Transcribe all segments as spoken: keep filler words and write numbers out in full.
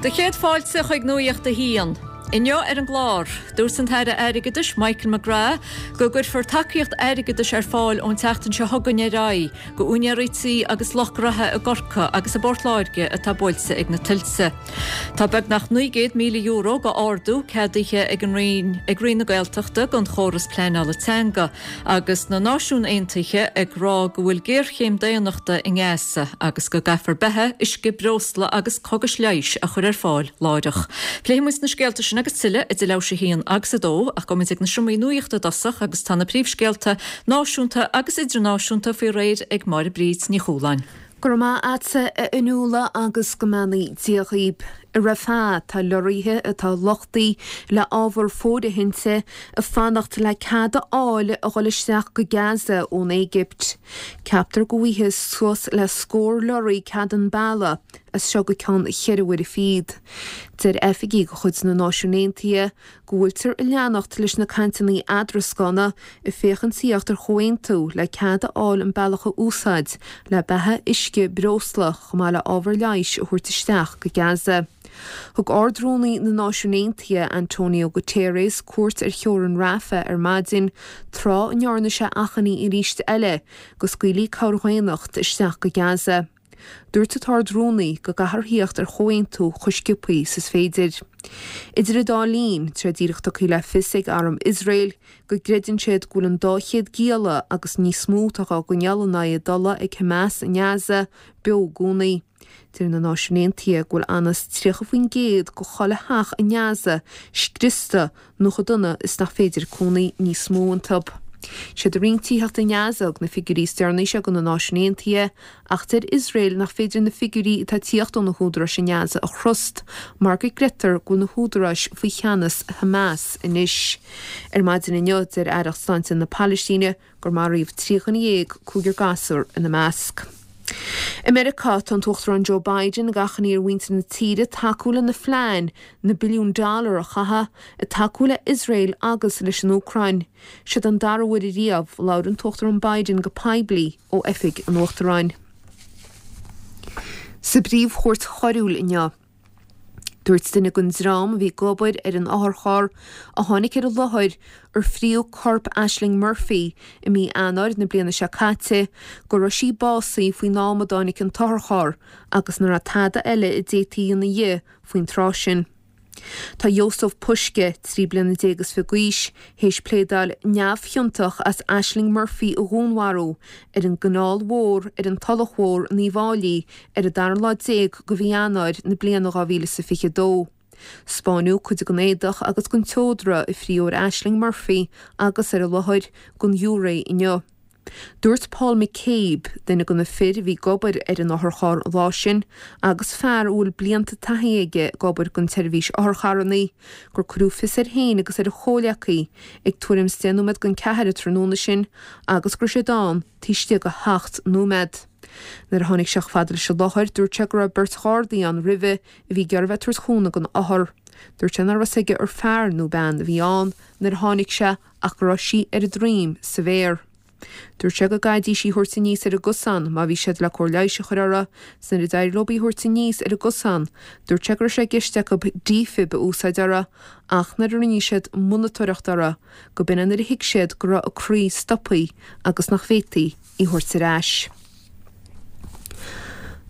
Do chéad fáilte chuig Nuacht a hAon. Inniu ar an gclár, dúirt an tAire Airgeadais Michael McGrath go gcuirfear tacaíocht airgeadais ar fáil ón tseachtain seo chugainn ar aghaidh go úinéirí tí agus lucht gnóthaí i gCorcaigh agus i bPort Láirge atá buailte ag na tuilte. Tá beagnach naoi gcéad míle euro go ardú ceadaithe ag an Roinn ag Roinn na Gaeltachta don chóras pleanála teanga agus na Náisiúin Aontaithe ag rá go bhfuil géarchéim daonnachta i nGaza agus go gcaithfear beatha, uisce, breosla agus cógais leighis a chur ar fáil láithreach. Pléifidh muid na scéalta sin agus tuilleadh idir leathuair tar éis a haon agus a dó ach gabhfaidh muid ag na seomraí nuachta i dtosach agus tá na príomhscéalta náisiúnta agus idirnáisiúnta faoi réir ag Máire Bríd Ní Chualáin. Go raibh maith agatsa a Fhionnuala agus go mbeannaí Dia dhaoib. I Rafah tá leoraithe atá luchtaithe le ábhar fóirithinte ag fanacht le cead a fháil a dhul isteach go Gaza ón Éigipt. Ceaptar go bhfaighidh suas le scór leoraí cead an bealach as seo go ceann cheithre uaire fichead. Deir oifigigh de chuid na Náisiún Aontaithe go bhfuiltear ag leanacht leis na cainteanna eadrascána ag féachaint tíocht ar chomhaontú le cead a fháil an bealach a úsáid le beatha uisce breosla chomh maith le ábhar leighis a thabhairt isteach go Gaza. Thug Ard-Rúnaí na Náisiún Aontaithe Antonio Guterres cuairt ar theorainn Rafah ar maidin tráth a ndearna sé achainí arís eile go scaoilfí cabhair dhaonnachta isteach go Gaza. Dúirt an tArd-Rúnaí go gcaithfear tíocht ar chomhaontú chomh sciobtha is is féidir. Idir an dá linn, tá díreach tugtha le fios ag arm Iosrael go gcreideann siad go bhfuil an dá chéad gialla agus níos mó atá á gcoinneáil in aghaidh a dtola ag Hamas i nGaza beo i gcónaí. Deir na Náisiúin Aontaithe go bhfuil anuas tríocha faoin gcéad de chuile theach i nGaza scriosta nó chomh dona is nach féidir cónaí níos mó iontu. Siad an Roinn Tithíochta i nGaza a thug na figiúirí is deireanaí seo do na Náisiúin Aontaithe ach deir Iosrael nach féidir na figiúirí atá ag tíocht ó na húdaráis i nGaza a thrust mar go gcreidtear go bhfuil na húdaráis faoi cheannas Hamas anois. Ar maidin inniu deir Aireacht Sláinte na Palaistíne gur maraíodh trí dhuine dhéag, cúigear gasúr ina measc. I Meiriceá tá an tUachtarán Joe Biden ag achainí ar mhuintir na tíre tacú lena phlean na billiún dollar a chaitheamh ag tacú le Iosrael agus leis an Úcráin. Siod an dara huair riamh labhair an tUachtarán Biden go poiblí ó oifig an Uachtaráin. Sa bPríomh-Chúirt Choiriúil inniu. Dúirt duine den dream a bhí ag obair ar an otharcharr a tháinig ar an láthair ar fríodh corp Ashling Murphy i mí Eanáir na bliana seo caite go raibh sí básaithe faoin am a dtáinig an t-otharcharr agus nach raibh tada eile a d'fhéadfaí a dhéanamh di faoin tráth sin. Tá Jozef Puska, trí bliana déag is fiche d'aois, théis pléadáil neamhchiontach as Ashling Murphy a dhúnmharú ar an gCanáil Mhór ar an Tulach Mhór in Uíbh Fhailí ar an dara lá déag de mhí Eanáir na bliana dhá mhíle is a fiche dó. 'Spáineadh cuid den éadach agus den tseodra a fríodh ar Ashling Murphy agus ar an láthair don ghiúiré inniu. Dúirt Paul McCabe, duine de na fir a bhí ag obair ar an otharcharr an lá sin agus fear a bhfuil blianta taithí aige ag obair don tseirbhís otharcharranna, gur cuireadh fios air féin agus ar a chomhghleacaí ag tuairim is deich nóiméad don ceathair an tráthnóna sin agus go raibh siad ann taobh istigh de sheacht nóiméad. Nuair a tháinig sé chomh fada leis an láthair, dúirt sé go raibh beirt ghardaí ann roimhe a bhí ag iarraidh a bheith ag tabhairt chúnamh don othar. Dúirt sé nach raibh a fhios aige ar fear nó bean a bhí ann nuair a tháinig sé ach go raibh sí ar a droim sa bhféar. Dúirt sé go gcaithfidís í a thabhairt aníos ar an gcosán má bhí siad le cóir leighis a chur uirthi, 's nuair a d'éirigh leo í a thabhairt aníos ar an gcosán, dúirt sé go raibh sé i gceist acu defib a úsáid uirthi, ach nuair a rinne siad monatóireacht uirthi, go b'in é nuair a thuig siad go raibh a croí stoptha agus nach bhféadfaí í a thabhairt ar ais.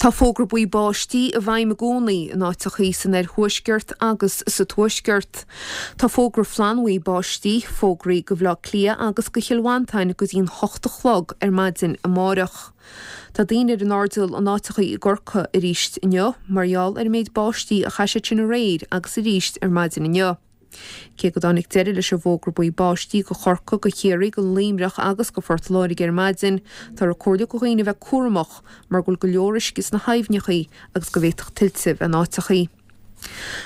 Tá fógra buí báistí i bhfeidhm i gcónaí in áiteachaí san oirthuaisceart agus sa tuaisceart. Tá fógra flannbhuí báistí fógraithe do Bhaile Átha Cliath agus do Chill Mhantáin go dtí'n hocht a chlog ar maidin amárach. Tá daoine ar an airdeall in áiteachaí i gCorcaigh arís inniu mar gheall ar an méid báistí a chaith siad sin aréir agus arís ar maidin inniu. Cé go dtáinig deireadh leis an bhfógra buí báistí do Chorcaigh, do Chiarraí, do Luimneach agus do Phort Láirge ar maidin, táthar ag comhairliú do dhaoine a bheith cúramach mar go bhfuil go leor uisce sna haibhneachaí agus go bhféadfadh tuilte bheith in áiteachaí.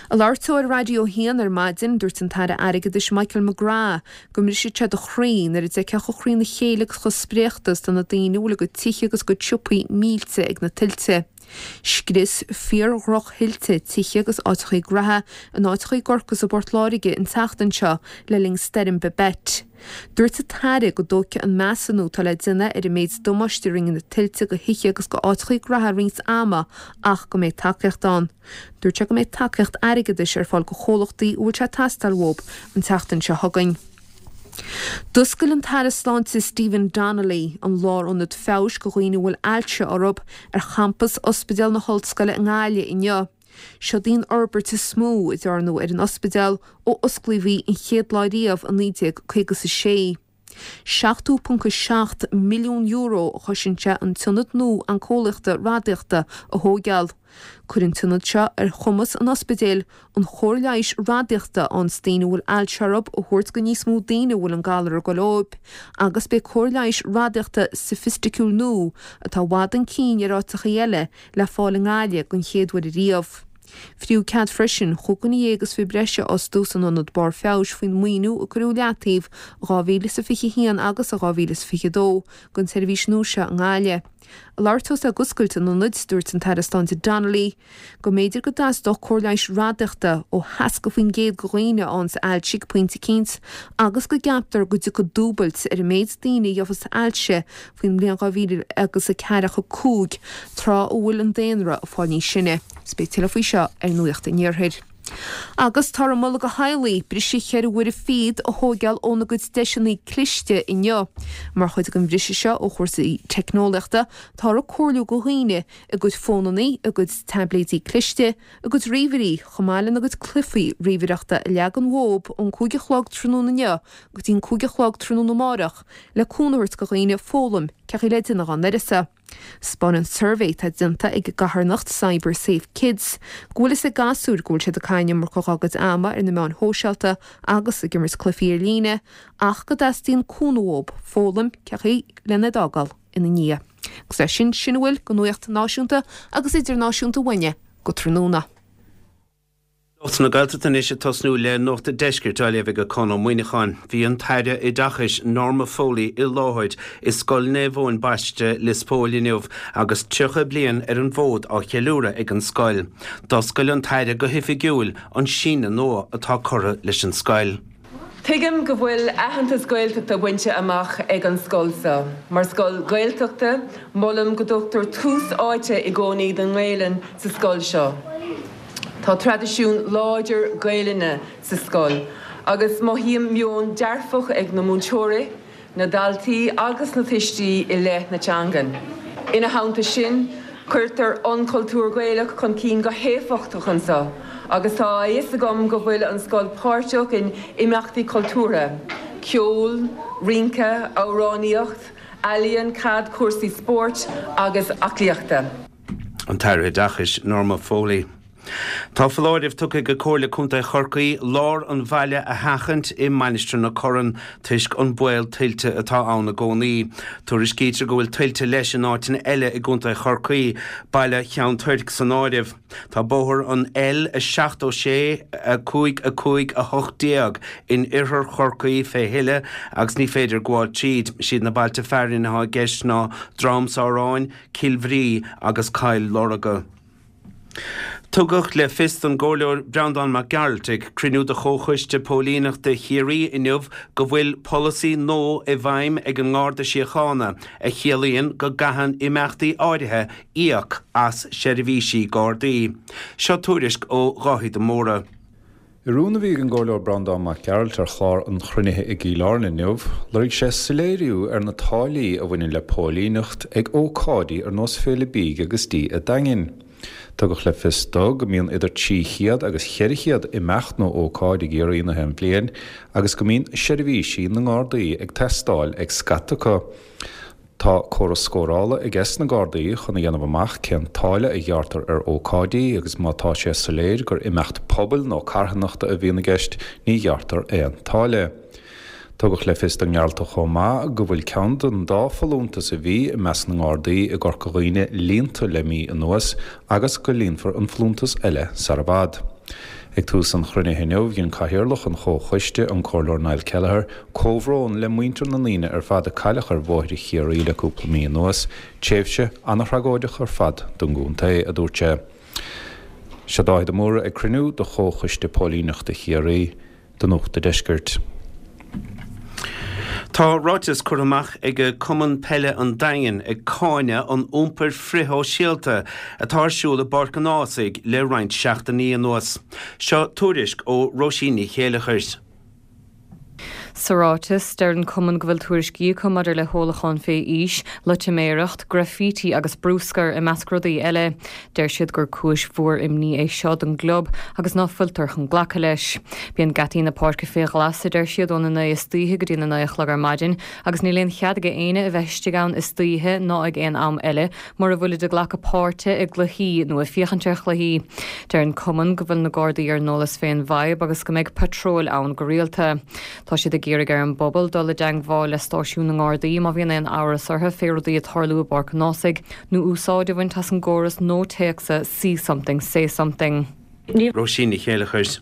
Ag labhairt dó ar Raidió a haon ar maidin, dúirt an tAire Airgeadais Michael McGrath go mbrisfeadh sé do chroí nuair a d'fheicfeá chomh críonna chéile agus chomh spréachta is atá na daoine a bhfuil a gcuid tithe agus a gcuid siopaí millte ag na tuilte. Scrios fíor-dhrochthuilte tithe agus áiteachaí graithe in áiteachaí i gCorcaigh is i bPort Láirge an tseachtain seo le linn Stoirm Babet. Dúirt an tAire go dtógfaidh an measúnú atá le déanamh ar an méid damáiste a rinne na tuilte go thithe agus go áiteachaí graithe roinnt ama ach go mbeidh tacaíocht ann. Dúirt sé go mbeidh tacaíocht airgeadais ar fáil go chomhlachtaí a bhfuil sé ag teastáil uathu an tseachtain seo chugainn. D'oscail an tAire Sláinte Stephen Donnelly an lárionad feabhais go dhaoine a bhfuil ailse orthu ar champas Ospidéal na hOllscoile i nGaillimh inniu. Seod í an fhorbairt is mó a dearnadh ar an ospidéal ó osclaíodh í an chéad lá riamh i naoi déag caoga is a sé. seachtó ponc a seacht milliún euro a chosain sé an t-ionad nua oinceolaíochta radaíochta a thóigeáil. Cuirfidh an t-ionad seo ar chumas an ospidéil an chóir leighis radaíochta ionns daoine a bhfuil ailse orthu a thabhairt go níos mó daoine a bhfuil an galar ag goil dóibh agus beidh cóir leighis radaíochta soifisticiúil nua atá i bhfad chun cinn ar áiteachaí eile le fáil i nGaillimh den chéad uair ariamh. Fríothadh cead freisin chúig dhuine dhéag is fiche breise a fhostú san ionad Barr Feabhais faoin maoiniú a cuireadh i leataobh i dhá mhíle is a fiche a haon agus i dhá mhíle is fiche a dó don tseirbhís nua seo i nGaillimh. Ag labhairt dó ag oscailt an ionaid, dúirt an tAire Sláinte Donnelly go mb'fhéidir go dteastódh cóir leighis radaíochta ó sheasca faoin gcéad de dhaoine a fhaigheanns ailse ag pointe eicínt agus go gceaptar go dtiocfaidh dúbailt ar an méid daoine a gheobhas ailse faoin mbliain dhá mhíle agus a ceathracha cúig, tráth a bhfuil an daonra ag fáil níos sine. Is beidh tuilleadh faoi seo ar Nuacht an Iarthair. Agus táthar ag moladh go theaghlaigh briseadh cheithre huaire fichead a thóigeáil óna gcuid deiseanna cliste inniu. Mar chuid den bhriseadh seo ó chúrsaí teicneolaíochta, táthar ag comhairliú go dhaoine a gcuid fónannaí, a gcuid taibléidí cliste, a gcuid ríomhairí, chomh maith lena gcuid cluichí ríomhaireachta a leagan uathu ón cúig a chlog tráthnóna inniu go dtí an cúig a chlog tráthnóna amárach le cúnamh a thabhairt go dhaoine foghlaim cén chaoi le déanamh dá n-uireasa. 'Spáineann suirbhé atá déanta ag an gcarthanacht Cyber Safe Kids go bhfuil fhios ag gasúir go bhfuil siad ag caitheamh an iomarca dá gcuid ama ar na meáin shóisialta agus ag imirt cluichí ar líne ach go dteastaíonn cúnamh uathu foghlaim cén chaoi lena d'fhágáil ina ndiaidh. Agus leis sin, sin a bhfuil de nuacht náisiúnta agus idirnáisiúnta uainne go tráthnóna. Nuacht na Gaeltachta anois ag tosnú le Nuacht an Deiscirt á léamh ag Conn Ó Muíneacháin. Bhí an tAire Oideachais Norma Foley i láthair i Scoil Naomh Eoin Baiste Lios Póil inniu agus tríocha bliain ar an bhfód á cheiliúradh ag an scoil. D'oscail an tAire go hoifigiúil an síneadh nua atá curtha leis an scoil. Tuigim go bhfuil aitheantas Gaeltachta bainte amach ag an scoil seo. Mar scoil Ghaeltachta, molaim go dtugtar tús áite i gcónaí don nGaelainn sa scoil seo. Tá traidisiún láidir Gaelainne sa scoil agus mothaím meon dearfach ag na múinteoirí, na daltaí agus na tuistí i leith na teangan. Ina theannta sin, cuirtear an cultúr Gaelach chun cinn go héifeachtach anseo agus tá a fhios agam go bhfuil an scoil páirteach in imeachtaí cultúrtha, ceol, rince, amhránaíocht, ealaíon, caid, cúrsaí spóirt agus aclaíochta. An tAire Oideachais, Norma Foley. Tá foláireamh tugtha ag Comhairle Contae Chorcaí lár an bhaile a sheachaint i Mainistir na Corann toisc an baol tuilte atá ann i gcónaí. Tuairiscítear go bhfuil tuilte leis in áiteanna eile i gContae Chorcaí, baile Cheann Toirc san áireamh. Tá bóthar an L a seachtó sé a cúig a cúig a hocht déag in oirthear Chorcaí fé thuile agus ní féidir gabháil tríd. Siad na bailte fearainn atá i gceist ná Drom Sáráin, Cill Bhrí agus Cill Lorga. Tugadh le fios don gComhairleoir Breandán Mac Gearailt ag cruinniú de Chomhchoiste Póilíneachta Chiarraí inniu go bhfuil polasaí nua i bhfeidhm ag an nGarda Síochána a chiallaíonn go gcaitheann imeachtaí áirithe íoc as seirbhísí Gardaí. Seo tuairisc ó Dháithí de Mórdha. I rún a bhí ag an gComhairleoir Breandán Mac Gearailt ar chlár an chruinnithe i gCill Airne inniu, lorg sé soiléiriú ar na táillí a bhaineann le póilíneacht ag ócáidí ar nós Féile Bídh agus Dí a' Daingin. Tugadh le fios dó go mbíonn idir trí chéad agus cheithre chéad imeacht nó ócáid i gCiarraí na haon bhliain agus go mbíonn seirbhísí na nGardaí ag teastáil ag scata acu. Tá córas scórála ag na Gardaí chun a dhéanamh amach cén táille a ghearrtar ar ócáidí agus má tá sé soiléir gur imeacht pobail nó carthanachta a bhíonn i gceist ní ghearrtar aon táille. Tugadh le fios don nGearaltach chomh maith go bhfuil ceann den dá folúntas a bhí i measc na nGardaí i gCorca Dhuibhne líonta le mí anuas agus go líonfar an folúntas eile sar i bhfad. Ag tús an chruinnithe inniu, dhein Cathaoirleach an Chomhchoiste, an Comhairleoir Niall Kelleher, comhbhrón le muintir na ndaoine ar fad a cailleadh ar bhóithre Chiarraí le cúpla mí anuas, tréimhse an-thragóideach ar fad don gcontae, a dúirt sé. Seo Dáithí de Mórdha ag cruinniú de Chomhchoiste Póilíneachta Chiarraí do Nuacht an Deiscirt. Tá ráiteas curtha amach ag Cumann Peile an Daingin ag cáineadh an iompair frithshóisialta atá ar siúl i bPáirc an Ághasaigh le roinnt seachtainí anuas. Seo tuairisc ó Róisín Ní Chéileachair. Sa ráiteas, deir an cumann go bhfuil tuairiscí acu maidir le hólachán fé aois, loitiméireacht, graifítí agus bruscar i measc rudaí eile. Deir siad gur cúis mhór imní é seo don gclub agus ná fuiltear chun glacadh leis. Bíonn geataí na páirce fé ghlas, a deir siad, óna naoi istoíche go dtí na naoi a chlog ar maidin agus níl aon chead ag éinne a bheith istigh ann istoíche ná ag aon am eile mura bhfuilid ag glacadh páirte i gcluichí nó ag féachaint ar chluichí. Deir an cumann go bhfuil na Gardaí ar an eolas fén bhfadhb agus go mbeidh patróil ann go rialta. Tá siad ag iarraidh ar an bpobal dul i dteagmháil le stáisiún na nGardaí má bhíonn aon amhras orthu fé rudaí ag tarlú i bPáirc an Ághasaigh nó úsáid a bhaint as an gcóras nua téacsa See Something Say Something. Róisín Ní Chéileachair.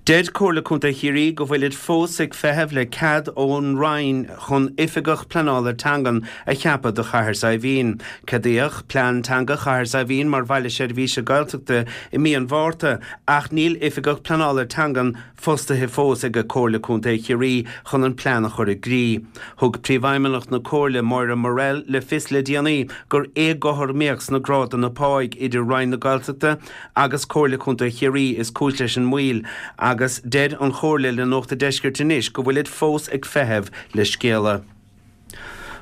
Deir Comhairle Contae Chiarraí go bhfuilid fós ag feitheamh le cead ón Roinn chun oifigeach pleanála teangan a cheapadh do Chathair Saidhbhín. Ceadaíodh plean teanga Chathair Saidhbhín mar bhaile seirbhíse Gaeltachta i mí an Mhárta ach níl oifigeach pleanála teangan fostaithe fós ag Comhairle Contae Chiarraí chun an plean a chur i gcrích. Thug Príomhfheidhmeannach na Comhairle Moira Morrell le fios le déanaí gur éagothromaíocht sna grádanna páigh idir Roinn na Gaeltachta agus Comhairle Contae Chiarraí is cúis leis an moill agus deir an Chomhairle le Nuacht an Deiscirt anois go bhfuilid fós ag feitheamh le scéala.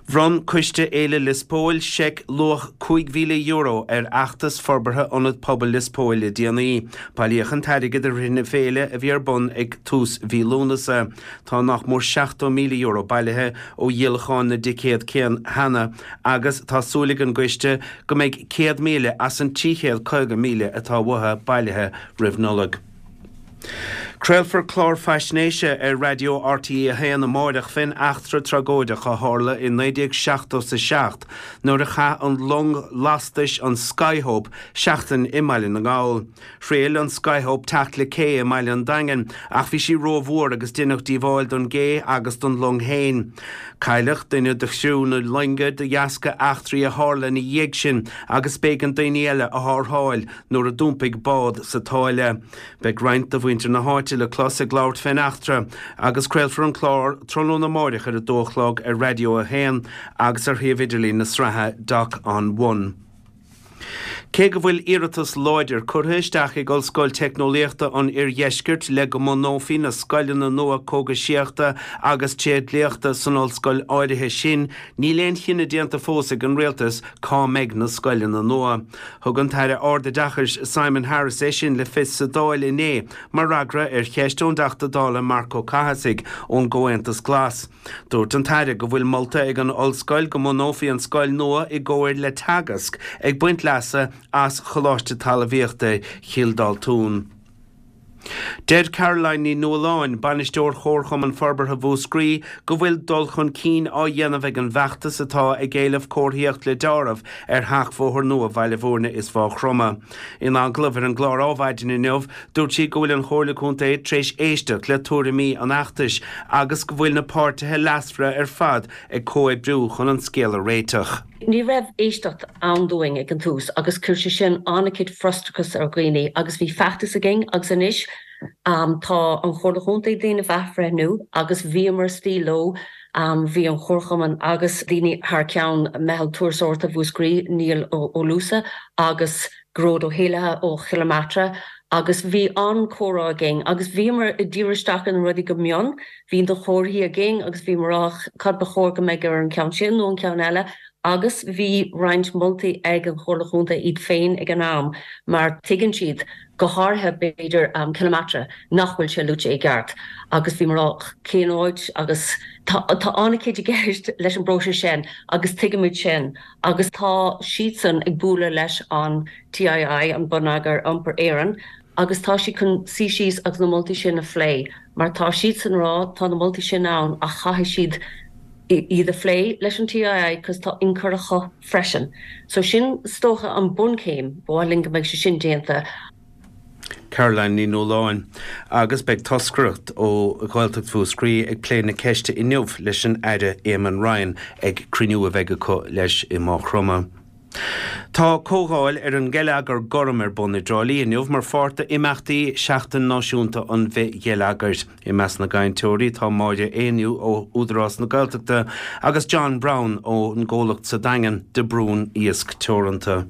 Bhronn Coiste Fhéile Lios Póil seic luach cúig mhíle euro ar fheachtas forbartha Ionad Pobail Lios Póil le déanaí. Bailíodh an t-airgead i rith na féile a bhí ar bun ag tús mhí Lúnasa. Tá nach mór seachtó míle euro bailithe ó dhíolachán na dticéad cheana agus tá súil ag an gcoiste go mbeidh céad míle as an trí chéad caoga míle atá uathu bailithe roimh Nollaig. Craolfar clár faisnéise ar Raidió RTÉ a haon amárach fén eachtra tragóideach a tharla i naoi déag seachtó a seacht nuair a chaith an long lastais an Skyhope seachtain i mBaile na nGall. Thriail an Skyhope teacht le cé i mBaile an Daingin ach bhí sí rómhór agus deineadh díobháil don gcé agus don long féin. Cailleadh duine de chriú na loinge de dheasca eachtraí a tharla ina dhiaidh sin agus b'éigean daoine eile a tharrtháil nuair a d'iompaigh bád sa tsáile. Beidh roinnt de mhuintir na háite le clos ag labhairt fén eachtra agus craolfar an clár tráthnóna amárach ar a dó a chlog ar Raidió a haon agus ar shuíomh idirlín na sraithe Doc on One. Cé go bhfuil iarratas láidir curtha isteach ag Ollscoil Teicneolaíochta an Oirdheiscirt le go mbunófaí na scoileanna nua cógaisíochta agus tréidliachta san ollscoil áirithe sin, níl aon chinneadh déanta fós ag an rialtas cá mbeidh na scoileanna nua. Thug an tAire Ardoideachais Simon Harris é sin le fios sa Dáil inné mar fhreagra ar cheist ón dTeachta Dála Marc Ó Cathasaigh ón gComhaontas Glas. Dúirt an tAire go bhfuil molta ag an ollscoil go mbunófaí an scoil nua i gcomhar le Teagasc ag baint leasa as Choláiste Talmhaíochta Chill Daltún. Deir Caroline Ní Nualláin, bainisteoir Chomharchumann Forbartha Mhúscraí, go bhfuil dul chun cinn á dhéanamh ag an bhfeachtas atá ag éileamh comharthaíocht le deáramh ar sheachbhóthar nua Bhaile Bhúirne is Mhaigh Chromtha. In agallamh ar an gclár Adhmhaidin inniu, dúirt sí go bhfuil an Chomhairle Contae tar éis éisteacht le tuairimí an fheachtais agus go bhfuil na páirtithe leasmhara ar fad ag comhoibriú chun an scéal a réiteach. Ní raibh éisteacht ann dúinn ag an tús agus chuir sé sin an-chuid frustrachas ar dhaoine agus bhí feachtas againn agus anois tá an Chomhairle Chontae ag déanamh athbhreithniú agus bhíomar istigh leo, bhí an Chomharchumann agus daoine thar ceann Meitheal Turasóireachta Mhúscraí, Niall Ó Luasa agus Gearóid Ó hÉallaithe ó Chill Matra agus bhí an-chomhrá againn agus bhíomar ag díriú isteach ar na rudaí go mion, bhí na comharthaí againn agus bhíomar á rá cad ba chóir go mbeidh ar an cheann sin nó an ceann eile agus bhí roinnt moltaí ag an Chomhairle Chontae iad féin ag an am mar tuigeann siad, go háirithe b'fhéidir Cill Matra, nach bhfuil sé luaite i gceart agus bhíomar á rá cén áit agus tá tá an-chuid i gceist leis an bpróiseas sin agus tuigimid sin agus tá siadsan ag bualadh leis an TII, an Bonneagar Iompair Éireann, agus tá siad chun suí síos agus na moltaí sin a phlé Mar tá siadsan ag rá tá na moltaí sin ann ach caithfidh siad iad a phlé leis an TII cos tá ionchur acu freisin. So sin is dócha an bunchéim ba mhaith linn go mbeidh sé sin déanta. Caroline Ní Nualláin agus beidh toscaireacht ó Ghaeltacht Mhúscraí ag plé na ceiste inniu leis an Aire Eamon Ryan ag cruinniú a bheidh acu leis i Maigh Chromtha. Tá comhdháil ar an ngeilleagar gorm ar bun i dTrá Lí inniu mar pháirt d'imeachtaí Seachtain Náisiúnta an Bhithgheilleagair. I measc na gcainteoirí tá Máire Éinniú ó Údarás na Gaeltachta agus John Brown ón gcomhlacht sa Daingean De Brún Iasc Teoranta.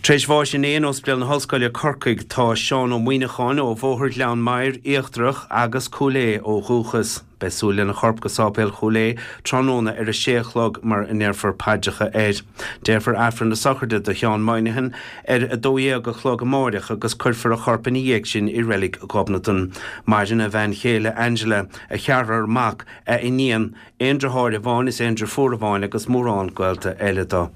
Tar éis bháis inné in Ospidéal na hOllscoile Corcaigh tá Seán Ó Muineacháin ó Bhóthar Ghleann Maghair Íochtarach agus Cúil Aodha ó dhúchas. Beidh súil lena chorp go Sáipéal Chúil Aodha tráthnóna ar a sé a chlog mar a ndéarfar paidreacha air. Déarfar Aifreann na sochraide do Sheán Moynihan ar a dó dhéag a chlog amáireach agus cuirfear a chorp ina dhiaidh sin i Reilig Ghobnatan. Maireann a bhean chéile Angela, a cheathrar mac, a iníon, aon deartháir amháin is aon deirfiúr amháin agus mórán gaolta eile dó.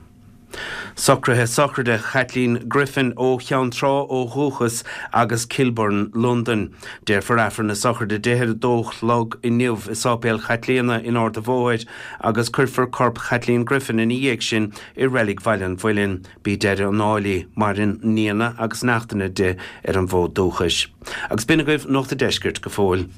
Socruithe sochraide Chaitlín Griffin ó Cheann Trá ó dhúchas agus Kilburn, Londain. Déarfar Aifreann na sochraide di ar a dó a chlog inniu i Sáipéal Chaitlíona in Ard an Bhóthair agus cuirfear corp Chaitlín Griffin ina dhiaidh sin i Reilig Bhaile an Mhuilinn. B'í deireadh an áil í. Maireann nianna agus neachtanna di ar an bhfód dúchais. Agus b'in agaibh Nuacht an Deiscirt go fóill.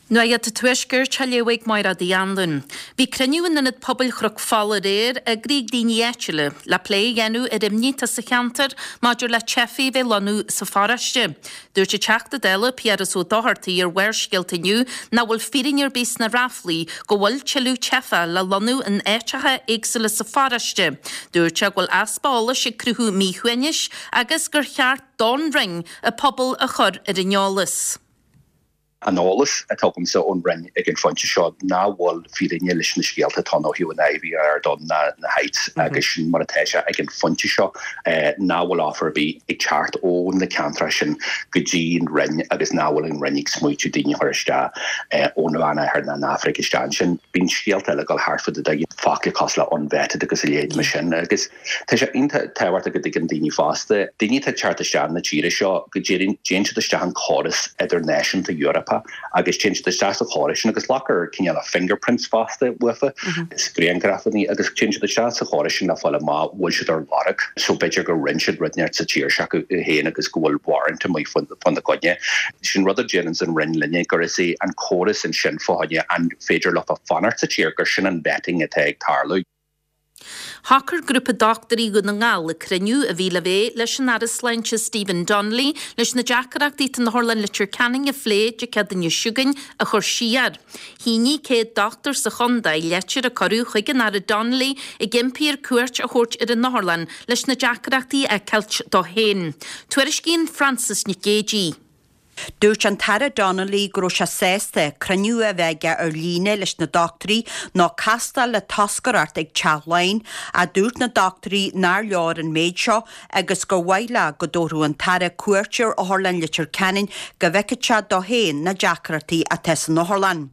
Nuacht an Tuaiscirt á léamh ag Máire Uí Anluain. Bhí cruinniú in Ionad Pobail Chnoc Fola aréir eagraithe ag daoine áitiúla le plé a dhéanamh ar imní atá sa cheantar maidir le teifigh a bheith lonnú sa pharóiste. Dúirt an Teachta Dála Piaras Ó Dochartaigh ar Bharrscéalta inniu nach bhfuil fírinne ar bith sna ráflaí go bhfuil tuilleadh teifeach le lonnú in áiteacha éagsúla sa pharóiste. Dúirt sé go bhfuil easpa eolais ag cruthú míshuaimhnis agus gur cheart don Roinn an pobal a chur ar an eolas. An eolas atá agamsa ón Roinn ag an phointe seo nach bhfuil fírinne leis na scéalta atá ó thaobh an IVR don na na Heights agus sin mar atá sé ag an phointe seo nach bhfuil offer ar bith ag teacht ó na ceantracha sin go dtí an Roinn agus nach bhfuil an Roinn ag smaoitiú daoine a chur isteach ón Mheánoirthear ná an Afraic isteach ansin. Bíonn scéalta eile ag dul thart fud an focla cosúil le unvetted agus a leithéid mar sin agus tá sé iontach tábhachtach go dtuigeann daoine fosta, daoine atá ag teacht isteach na tíre seo go dtéann siad isteach an córas idirnáisiúnta Eorpach agus téann siad isteach sa chóras sin agus glactar cineál fingerprints fosta uafa is grianghrafanna agus téann siad isteach sa chóras sin le fáil amach bhfuil siad ar lorg so b'fhéidir gur rinne siad rud inteacht sa tír s'acu féin agus go bhfuil warrant amuigh fána gcoinne. Sin rud a déanann an Roinn linne gur is é an córas ansin fá choinne an féidir leofa fanacht sa tír gur sin an vetting atá ag tarlú. Shocair grúpa dochtúirí Dhún na nGall ag cruinniú a bhí le bheith leis an Aire Sláinte Stephen Donnelly leis na deacrachtaí atá in Otharlann Leitir Ceanainn a phlé Dé Céadaoine seo chugainn a chur siar. Shínigh céad dochtúir sa chontae litir a cuireadh chuig an Aire Donnelly ag impí air cuairt a thabhairt ar an otharlann leis na deacrachtaí a fheiceáilt dó féin. Tuairiscíonn Frances Nic Géadaigh. Dúirt an tAire Donnelly go raibh sé sásta cruinniú a bheith aige ar líne leis na dochtúirí nó castáil le toscaireacht ag Teach Laighean ach dúirt na dochtúirí nár leor an méid seo agus gur mhaith leo go dtabharfadh an tAire cuairt ar Otharlann Leitir Ceanainn go bhfeicfeadh sé dó féin na deacrachtaí atá san otharlann.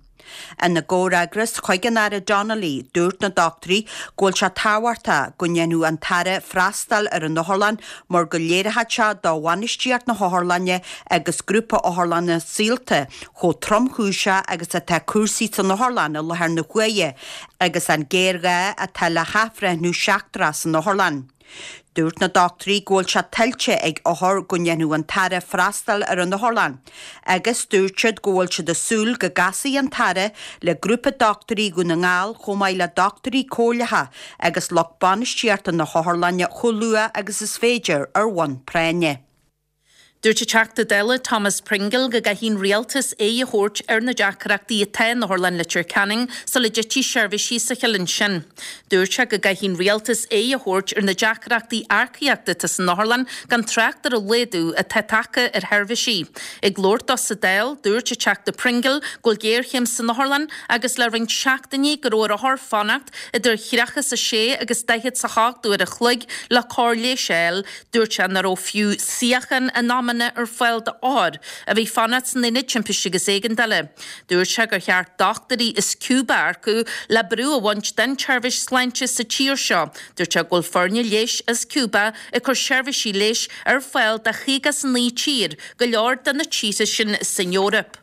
Ina gcomhfhreagras chuig an Aire Donnelly, dúirt na dochtúirí go bhfuil sé tábhachtach go ndéanfadh an tAire freastal ar an otharlann mar go léireodh sé do bhainistíocht na hotharlainne agus grúpa otharlanna Saolta chomh tromchúiseach agus atá cúrsaí san otharlann i láthair na huaire agus an géarghá atá le hathbhreithniú seachtrach san otharlann. Dúirt na dochtúirí go bhfuil sé tuillte ag othair go ndéanfadh an tAire freastal ar an otharlann, agus dúirt siad go bhfuil siad ag súil go gcasfaidh an tAire le grúpa dochtúirí Dhún na nGall chomh maith le dochtúirí comhairleacha agus lucht bainistíochta na hotharlainne chomh luath agus is féidir ar bhonn práinne. Dúirt an Teachta Dála Thomas Pringle go gcaithfidh an rialtas aghaidh a thabhairt ar na deacrachtaí atá in Otharlann Leitir Ceanainn sula dtitfidh seirbhísí sa chill ansin. Dúirt sé go gcaithfidh an rialtas aghaidh a thabhairt ar na deacrachtaí earcaíochta atá san otharlann gan trácht ar an laghdú atá tagtha ar sheirbhísí. Ag labhairt dó sa Dáil, dúirt an Teachta Pringle go bhfuil géarchéim san otharlann agus le roinnt seachtainí go raibh ar othair fanacht idir thríocha is a sé agus daichead is a hocht uair a chloig le cóir leighis a fháil. Dúirt sé nach raibh fiú suíochán in amanna amanna ar fáil d'othair a bhí ag fanacht san Aonad Timpiste agus Éigeandála. Dúirt sé gur cheart dochtúirí as Cúba a earcú le brú a bhaint den tseirbhís sláinte sa tír seo. Dúirt sé go bhfuil foirne leighis as Cúba ag cur seirbhísí leighis ar fáil do chaoga is a naoi tír, go leor de na tíortha sin san Eoraip.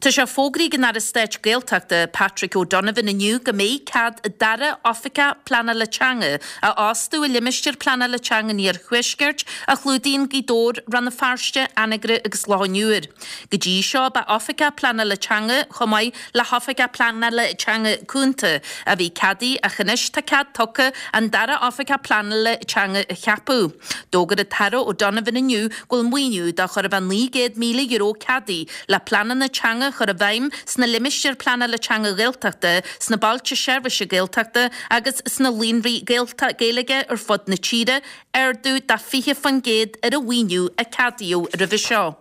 Tá sé fógraithe ag an Aire Stáit Gaeltachta, Patrick O'Donovan inniu go mbeidh cead dara Oifigeach Pleanála Teanga a fhostú i limistéar pleanála teanga an Iarthuaiscirt a chlúdaíonn Gaoth Dobhair, Rann na Feirste, Anagaire agus Loch an Iúir. Go dtí seo ba Oifigeach Pleanála Teanga chomh maith le hOifigeach Pleanála Teanga Cúnta a bhí ceadaithe ach anois tá cead tugtha an dara Oifigeach Pleanála Teanga a cheapadh. D'fhógair an tAire O'Donovan inniu go bhfuil maoiniú de chóir a bheith naoi gcéad míle euro ceadaithe le pleananna teanga a chur i bhfeidhm sna limistéir pleanála teanga Ghaeltachta, sna bailte seirbhíse Gaeltachta agus sna líonraí Gaeilge ar fud na tíre, ardú de fiche faoin gcéad ar an mhaoiniú a ceadaíodh roimhe seo.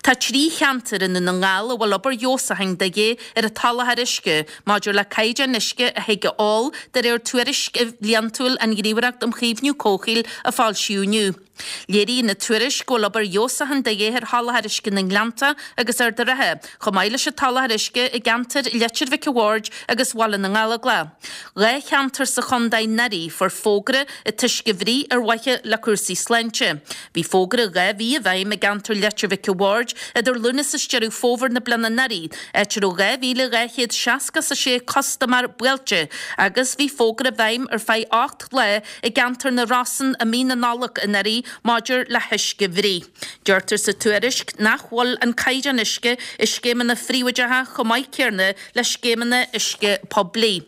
Tá trí cheantar i nDún na nGall a bhfuil obair fheabhsúcháin de dhíth ar an tsoláthar uisce maidir le caighdeán uisce a thig a ól de réir tuairisc bhliantúil an Ghníomhaireacht um Chaomhnú Comhshaoil a foilsíodh inniu. Léiríonn an tuairisc go bhfuil obair fheabhsúcháin de dhíth ar sholáthar uisce na nGleannta agus Ard an Rátha, chomh maith leis an tsoláthar uisce i gceantair Leitir Mhic a' Bhaird agus Bhaile na nGallóglach. Dhá cheantar sa chontae anuraidh fuair fógra an t-uisce a bhruith ar mhaithe le cúrsaí sláinte. Bhí fógra dhá mhí i bhfeidhm i gceantar Leitir Mhic a' Bhaird idir Lúnasa is Deireadh Fómhair na bliana anuraidh, áit a raibh dhá mhíle dhá chéad seasca is a sé custaiméir buailte agus bhí fógra i bhfeidhm ar feadh ocht lá i gceantar na Rosann i mí na Nollag anuraidh maidir le huisce a bhruith. Deirtear sa tuairisc nach bhfuil an caighdeán uisce i scéimeanna phríobháideacha chomh maith céanna le scéimeanna uisce poiblí.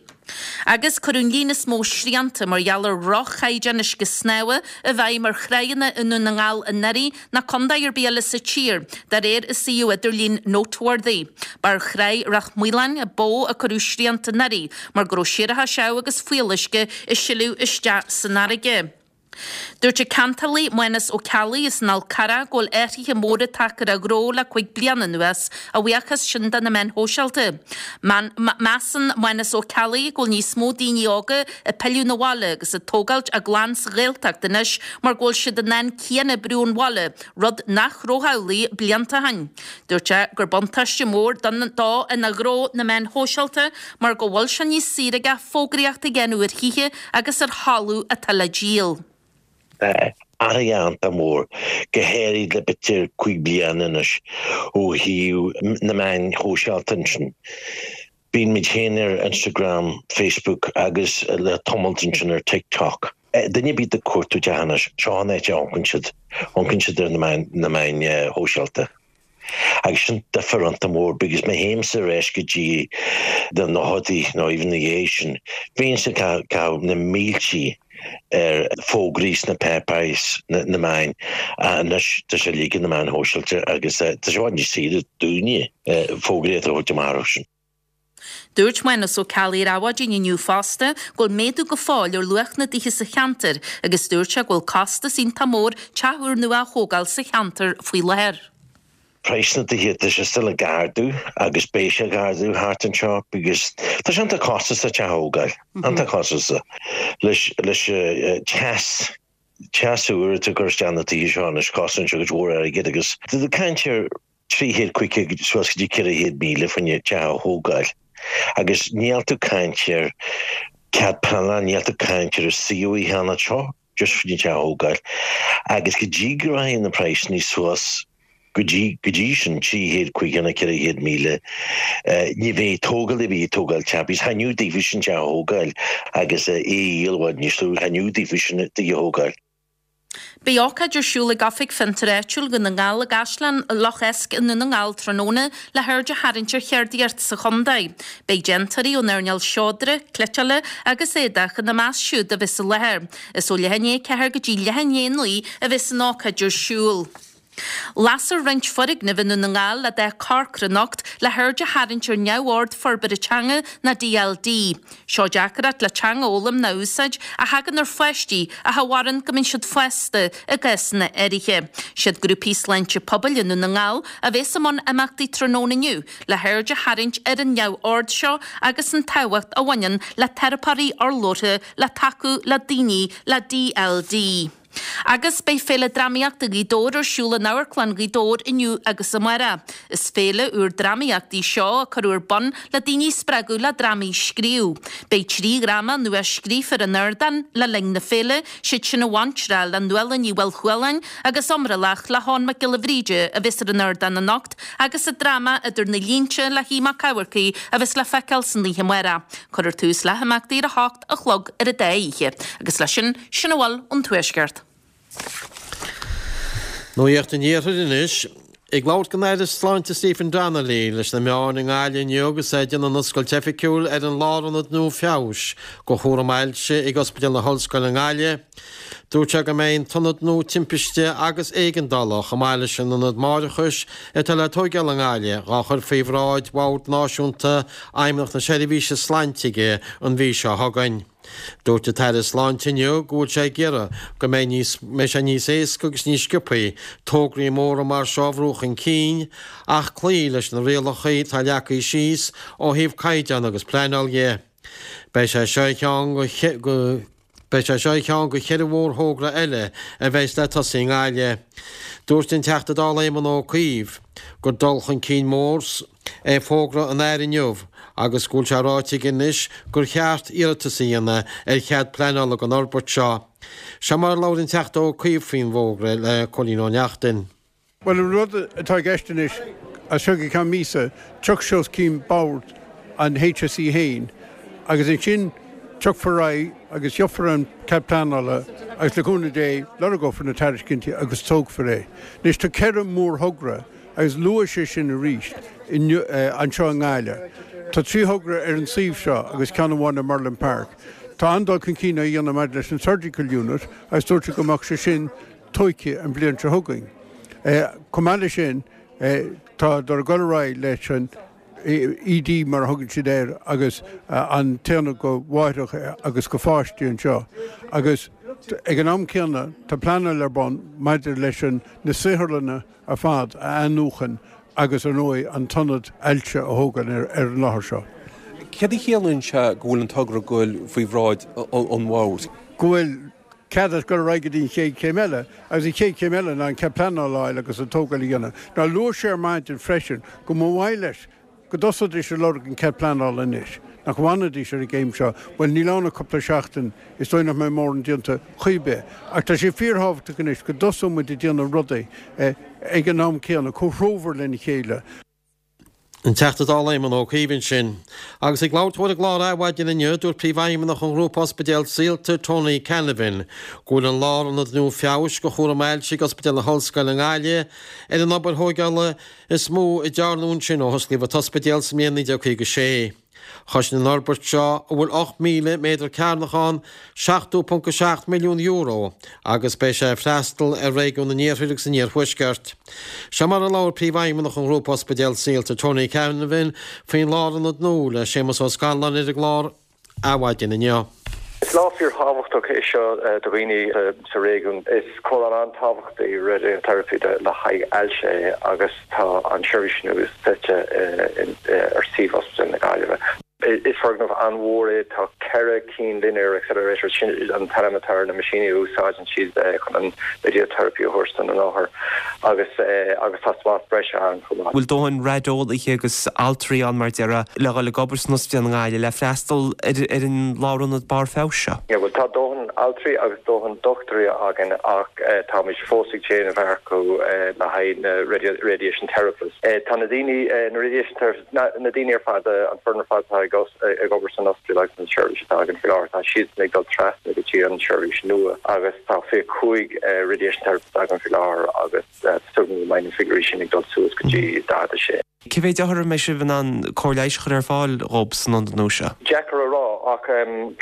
Agus cuireadh an líon is mó srianta mar gheall ar dhroch-chaighdeán uisce snámha i bhfeidhm ar thráigheanna i nDún na nGall anuraidh ná contae ar bith eile sa tír, de réir an suíomh idirlín Noteworthy. Ba ar thráigh Ráth Maoláin i bPó a cuireadh srianta anuraidh mar go raibh séarachas seamh agus fuíolluisce ag sileadh isteach san fharraige. Dúirt an ceantálaí Mánas Ó Ceallaigh as an Fhál Carrach go bhfuil athruithe móra tagtha ar a ghnó le cúig bliana anuas, a bhuíochas sin do na meáin shóisialta. Measann Mánas Ó Ceallaigh go bhfuil níos mó daoine óga ag pilleadh 'na bhaile agus ag tógáilt a gclann sa Ghaeltacht anois mar go bhfuil siad in ann cianoibriú ón bhaile, rud nach raibh amhlaidh blianta ó shin. Dúirt sé gur buntáiste mór dó ina ghnó na meáin shóisialta mar go bhfuil sé níos saoire aige fógraíocht a dhéanamh ar thithe agus ar thalamh atá le díol. Tá athruithe iontach mór, go háirid le b'fhéidir cúig bliana anois, ó thaobh na meáin shóisialta ansin. Bíonn muid féin ar Instagram, Facebook agus le tamalt ansin ar TikTok. Duine ar bith ag cuartú teach anois, seo an áit a amharcann siad, amharcann siad ar na meáin shóisialta. Agus sin difear iontach mór because má théimse ar ais go dtí na nóchaidí nó even na dhiaidh sin, bhínnse ag caitheamh na míltí ar fógraí sna páipéirí, na meáin, anois tá sé uilig ar na meáin shóisialta agus tá sé i bhfad níos saoire dúinne fógraíocht a thabhairt amach orthu sin. Dúirt Mánas Ó Ceallaigh ar Adhmhaidin inniu fosta go bhfuil méadú go fóill ar luach na dtithe sa cheantar agus dúirt sé go bhfuil costas iontach mór teach úrnua a thógáil sa cheantar faoi láthair. Praghas na dtithe, tá sé still ag ardú agus beidh sé ag ardú thart anseo because tá sé iontach costasach teach a thógáil, iontach costasach leis leis teas, teas úr atá ag cur isteach na tithe seo anois, cosnaíonn sé cuid mhór airgid agus tá tú ag caint ar trí chéad caoga suas go dtí ceithre chéad míle fá choinne teach a thógáil agus níl tú ag caint ar cead pleanála, níl tú ag caint ar an suíomh a cheannach seo just fá choinne teach a thógáil agus go dtí go rachaidh na praghsanna suas go dtí go dtí sin trí chéad caoga nó ceithre chéad míle ní bheidh tógáil ar bith ag tógáil teach because thaitneodh daofa sin teach a thógáil agus é a dhíol i bhfad níos lú thaitneodh daofa sin tigh a thógáil. Beidh ócáid ar siúl ag Oifig Fiontair Áitiúil Dhún na nGall i gCaisleán Loch Eisc i Ndún na nGall tráthnóna le haird a tharraingt ar cheardaíocht sa chontae. Beidh déantóirí ón earnáil seodra, cniotála agus éadach ina measc siúd a bheas i láthair. Is ó leath i ndiaidh a ceathair go dtí leath i ndiaidh a naoi a bheas an ócáid ar siúl. Lasfar roinnt foirgneamh i nDún na nGall le dath corcra anocht le haird a tharraingt ar neamhord forbartha teanga ná D L D. Seo deacracht le teanga a fhoghlaim ná a úsáid a thagann ar pháistí ach a mhaireann go mbíonn siad fásta i gcásanna áirithe. Siad grúpaí sláinte pobail i nDún na nGall a bheas i mbun imeachtaí tráthnóna inniu le haird a tharraingt ar an neamhord seo agus an tábhacht a bhaineann le teiripeoirí urlabhartha le tacú le daoine le D L D. Agus beidh Féile Drámaíochta Ghaoth Dobhair ar siúl in Amharclann Ghaoth Dobhair inniu agus amárach. Is féile úr drámaíochta í seo a cuireadh ar bun le daoine a spreagadh le drámaí a scríobh. Beidh trí dhráma nua scríofa ar an ardán le linn na féile, siad sin An Bhaintreach le Nuala Ní Mhaolchualáin agus Iomrallach le hEoin Mac Giolla Bhríde a bheas ar an ardán anocht agus an dráma Idir na Línte le hAodh Mac Eamharcaigh a bheas le feiceáil san oíche amárach. Cuirfear tús le himeachtaí ar a hocht a chlog ar an dá oíche. Agus leis sin, sin a bhfuil ón Tuaisceart. Nuacht an Iarthair anois. Ag labhairt don Aire Sláinte Stephen Donnelly leis na meáin i nGaillimh inniu agus é ag déanamh an oscailt oifigiúil ar an lárionad nua feabhais do chúram ailse ag Ospidéal na hOllscoile i nGaillimh, dúirt sé go mbeidh an t-ionad nua timpiste agus éigeandála chomh maith leis an ionad máithreachais atá le tóigeáil i nGaillimh dhá chur faoi bhráid Bhord Náisiúnta Fheidhmeannacht na Seirbhíse Sláinte aige an mhí seo chugainn. Dúirt an tAire Sláinte inniu go bhfuil sé ag iarraidh go mbeidh níos mbeidh sé níos éasca agus níos sciobthaí tograí móra mar seo a bhrú chun cinn ach cloí leis na rialacha atá leagtha síos ó thaobh caighdeán agus pleanáil dhe. Beidh sé seo ar cheann go Beidh sé seo ar cheann de cheithre mhórthogra eile a bheas le tosaí i nGaillimh. Dúirt an Teachta Dála Éamon Ó Cuív gur dul chun cinn mór é fógra an Aire inniu agus go bhfuil sé ráite aige anois gur cheart iarratas a dhéanamh ar chead pleanála don fhorbairt seo. Seo mar a labhair an Teachta Ó Cuív faoin bhfógra le Cóilín Ó Neachtain. Bhuel, an rud atá i gceist anois, as seo go ceann míosa, tiocfaidh sé os cionn bord an HSE féin agus ansin tiocfar ar aghaidh agus gheofar an cead pleanála agus le cúnamh Dé lorgófar na tairiscintí agus tógfar é. Anois tá ceithre mhórthogra agus luaigh sé sin arís inniu anseo i nGaillimh. Tá trí thogra ar an suíomh seo agus ceann amháin i Merlin Park. Tá an-dul chun cinn á dhéanamh maidir leis an Surgical Unit agus dúirt sé go mbeadh sé sin tóigthe an bhliain seo chugainn. Chomh maith leis sin, tá dul ag dul ar aghaidh leis an ED mar a thugann siad air agus an t-aonad do mháithreacha agus do pháistí anseo agus ag an am céanna tá pleanáil ar bun maidir leis an na saotharlanna ar fad a athnuachan agus ar ndóigh an t-ionad ailse a thógáil ar an láthair seo. Céard a chiallaíonn sé go bhfuil an togra ag goil faoi bhráid an bhoird? Go bhfuil cead ag dul ar aghaidh go dtí an chéad chéim eile, agus an chéad chéim eile ná an cead pleanála a fháil agus an tógáil a dhéanamh. Now luaigh sé ar maidin freisin go mba mhaith leis go dtosóidís ag lorg an cead pleanála anois, nach bhfanfaidís ar an gcéim seo, bhuel níl ann ach cúpla seachtain, is dóigh nach mbeidh mórán déanta chaoi bith. Ach tá sé fíorthábhachtach anois go dtosóidh muid ag déanamh rudaí ag an am céanna, comhthreomhar lena chéile. An Teachta Dála Éamon Ó Cuív ansin. Agus ag labhairt dó ar an gclár Adhmhaidin inniu, dúirt Príomhfheidhmeannach an Ghrúpa Ospidéal Saolta, Tony Canavan, go bhfuil an lárionad nua feabhais do chúram ailse ag Ospidéal na hOllscoile i nGaillimh ar an obair thóigeála is mó a dearnadh ansin ó hosclaíodh an t-ospidéal sa mbliain naoi déag caoga sé. Chosain an fhorbairt seo, a bhfuil ocht míle méadar cearnach ann, seachtó ponc a seacht milliún euro agus beidh sé ag freastal ar réigiún an Iarthair agus an Iarthuaiscirt. Seo mar a labhair Príomhfheidhmeannach an Ghrúpa Ospidéal Saolta, Tony Canavan, faoin lárionad nua le Séamus Ó Scanláin ar an gclár Adhmhaidin inniu. Is lá fíorthábhachtach é seo do dhaoine sa réigiún. Is cóireáil an-tábhachtach í radiotherapy le haghaidh ailse é agus tá an tseirbhís nua suite ar suíomh Ospidéal na Gaillimhe. Is foirgneamh an-mhór é, tá ceithre cinn linear accelerators, sin an t-ainm atá ar na meaisíní a úsáideann siad chun an radiotherapy a thabhairt do na n-othar agus agus tá spás breise ann chomh maith. bhfuil dóthain raideolaithe agus altraí ann mar déarfá le dhul ag obair san ospidéal i nGaillimh le freastal ar ar an lárionad barr feabhais seo? Yeah bhuel tá dóthain altraí agus dóthain dochtúirí againn ach táimid fós ag déanamh earcú le haghaidh na radiation therapists. Tá na daoine, na radiation therapists, Na daoine ar fad, an foireann ar fad atá ag obair san ospidéal agus an tseirbhís atá againn faoi láthair, tá siadsan ag dul trasna go dtí an tseirbhís nua agus tá fiche cúig radiation therapist againn faoi láthair agus tá súil agam go mbeidh na figiúirí sin ag dul suas go dtí daichead a sé. Cé mhéad othar a mbeidh sibh in ann cóir leighis a chur ar fáil dhób san ionad nua seo? Deacair a rá ach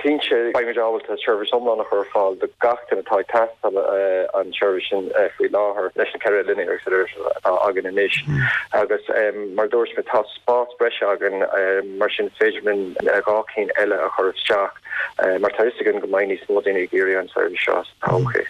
cinnte beimid ábalta seirbhís iomlán a chur ar fáil do gach duine atá ag teastáil an tseirbhís sin faoi láthair leis na ceithre linear accelerator atá againn anois agus Mar a dúirt mé, tá spás breise againn, mar sin is féidir linn dhá cinn eile a chur isteach, mar tá a fhios againn go mbeidh níos mó daoine ag iarraidh an tseirbhís seo sa todhchaí.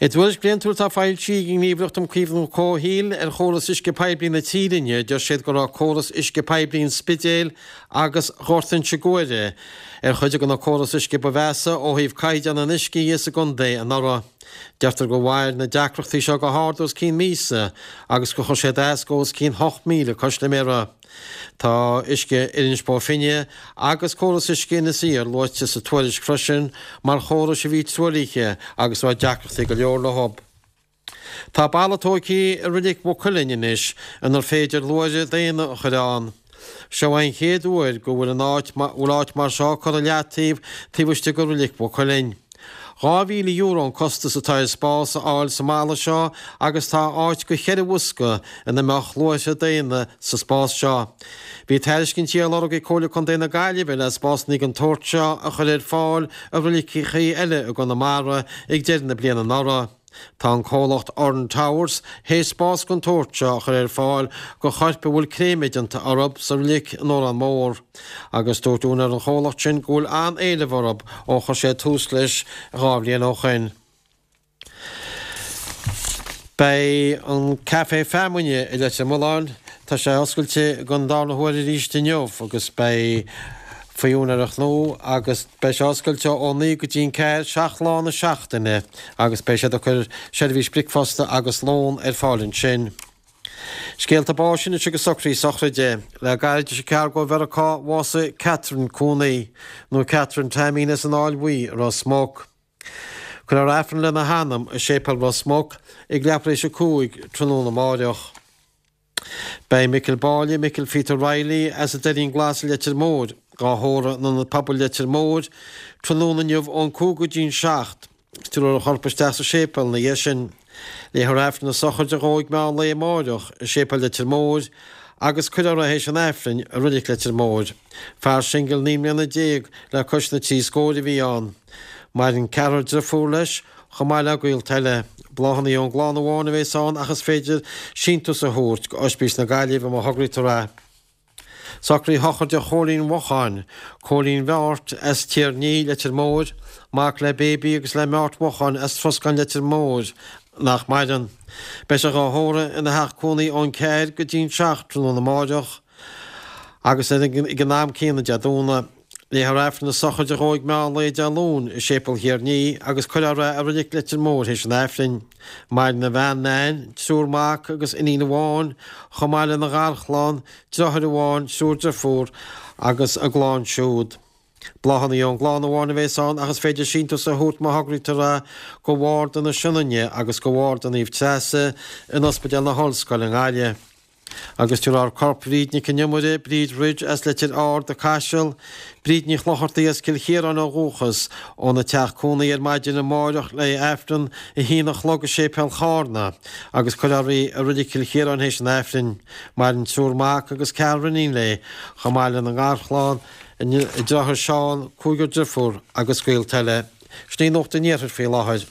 I dtuairisc bhliantúil atá foilsithe ag an nGníomhaireacht um Chaomhnú Comhshaoil ar chóras uisce poiblí na tíre inniu, deir siad go raibh córas uisce poiblí an Spidéil agus Ghort Inse Guaire ar chuid de na córais uisce ba mheasa ó thaobh caighdeán an uisce dhe sa gcontae anuraidh. Deirtear go mhair na deacrachtaí seo go hard os cionn míosa agus gur chuir siad as go os cionn hocht míle custaiméara. Tá uisce Inis Bó Finne agus córas uisce Inis Oírr luaite sa tuairisc freisin mar chórais a bhí truaillithe agus a raibh deacrachtaí go leor leo. Tá balla tógtha i Reilig Mhaigh Cuilinn anois inar féidir luaithre daonna a chur ann. Seo an chéad uair go bhfuil an áit bhfuil áit mar seo curtha i leataobh taobh istigh de Reilig Mhaigh Cuilinn. Dhá mhíle euro an costas atá ar spás a fháil sa mballa seo agus tá áit go cheithre bhosca ina mbeadh luaithre daonna sa spás seo. Bhí tairiscintí á lorg ag Comhairle Contae na Gaillimhe le spásanna den tsórt seo a chur ar fáil i reiligeacha eile i gConamara ag deireadh na bliana anuraidh. Tá an comhlacht Urn Towers théis spás den tsórt seo a chur ar fáil go choirp a bhfuil créamadh déanta orthu sa reilig in Órán Mór. Agus dúirt úinéir an chomhlacht sin go bhfuil an-éileamh orthu ó chuir sé tús leis dhá bhliain ó shin. Beidh an Café Feamainne i Leitir Mealláin, tá sé oscailte don darna huair arís inniu agus beidh faoi úinéireacht nua agus beidh sé oscailte ó naoi go dtí an ceathair, seacht lá na seachtaine agus beidh siad ag cur seirbhís bricfeasta agus lón ar fáil ansin. Scéalta báis anois agus socruithe sochraide. Le gairid is a ceathair go Mheiriceá bhásaigh Catherine Cooney, nó Catherine Taimín as an Fháil Bhuí i Ros Muc. Cuirfear Aifreann lena hanam i Séipéal Ros Muc ag leathuair tar éis a cúig tráthnóna amáireach. Beidh Micil Báille, Micil Phíotair Reilly as an Doirín Glas i Leitir Móir, dhá thórramh in Ionad Pobail Leitir Móir, tráthnóna inniu ón cúig go dtí'n seacht. Tabharfar a chorp isteach sa séipéal ina dhiaidh sin. Léifear Aifreann na sochraide dhó ag meán lae amáireach i Séipéal Leitir Móir agus cuirfear é théis an Aifrinn i Reilig Leitir Móir. Fear singil naoi mbliana déag le cois na trí scóir a bhí ann. Maireann ceathrar driofúr leis, chomh maith le gaolta eile. Bláthanna ón gclann amháin a bheas ann ach is féidir síntiús a thabhairt go Ospís na Gaillimhe má thograítear é. Socruithe sochraide Chóilín Mhocháin, Cóilín Bheáirt as Tír Ní, Leitir Móir, mac le Baby agus le Meáirt Mhocháin as Troscán Leitir Móir, nach maireann. Beidh sé dhá thórramh ina theach cónaí ón ceathair go dtí'n seacht tráthnóna amáireach agus ag an am céanna Dé Domhnaigh. Léifear Aifreann na sochraide dhó ag meán lae Dé Luain i Séipéal Thír Ní agus cuirfear é i Reilig Leitir Móir théis an Aifrinn. Maireann a bhean Nan, triúr mac agus iníon amháin, chomh maith lena gharchlann, deartháir amháin, triúr deirfiúr agus a gclann siúd. Bláthanna ón gclann amháin a bheas ann ach is féidir síntiús a thabhairt má thograítear é go Bharda na Sionainne agus go Bharda Naomh Treasa in Ospidéal na hOllscoile i nGaillimh. Agus tabharfar corp Bhríd Nic an Iomaire, Bríd Ridge as Leitir Ard, Caiseal, Bríd Ní Chlochartaigh as Cill Chiaráin ó dhúchas, óna teach cónaí ar maidin amáireach le Aifreann a haon a chlog i Séipéal Charna agus cuirfear í i Reilig Chill Chiaráin théis an Aifrinn. Maireann triúr mac agus ceathrar iníon léi, chomh maith lena ngarchlann, a deartháir Seán, cúigear deirfiúr agus gaolta eile. Sin í Nuacht an Iarthair faoi láthair.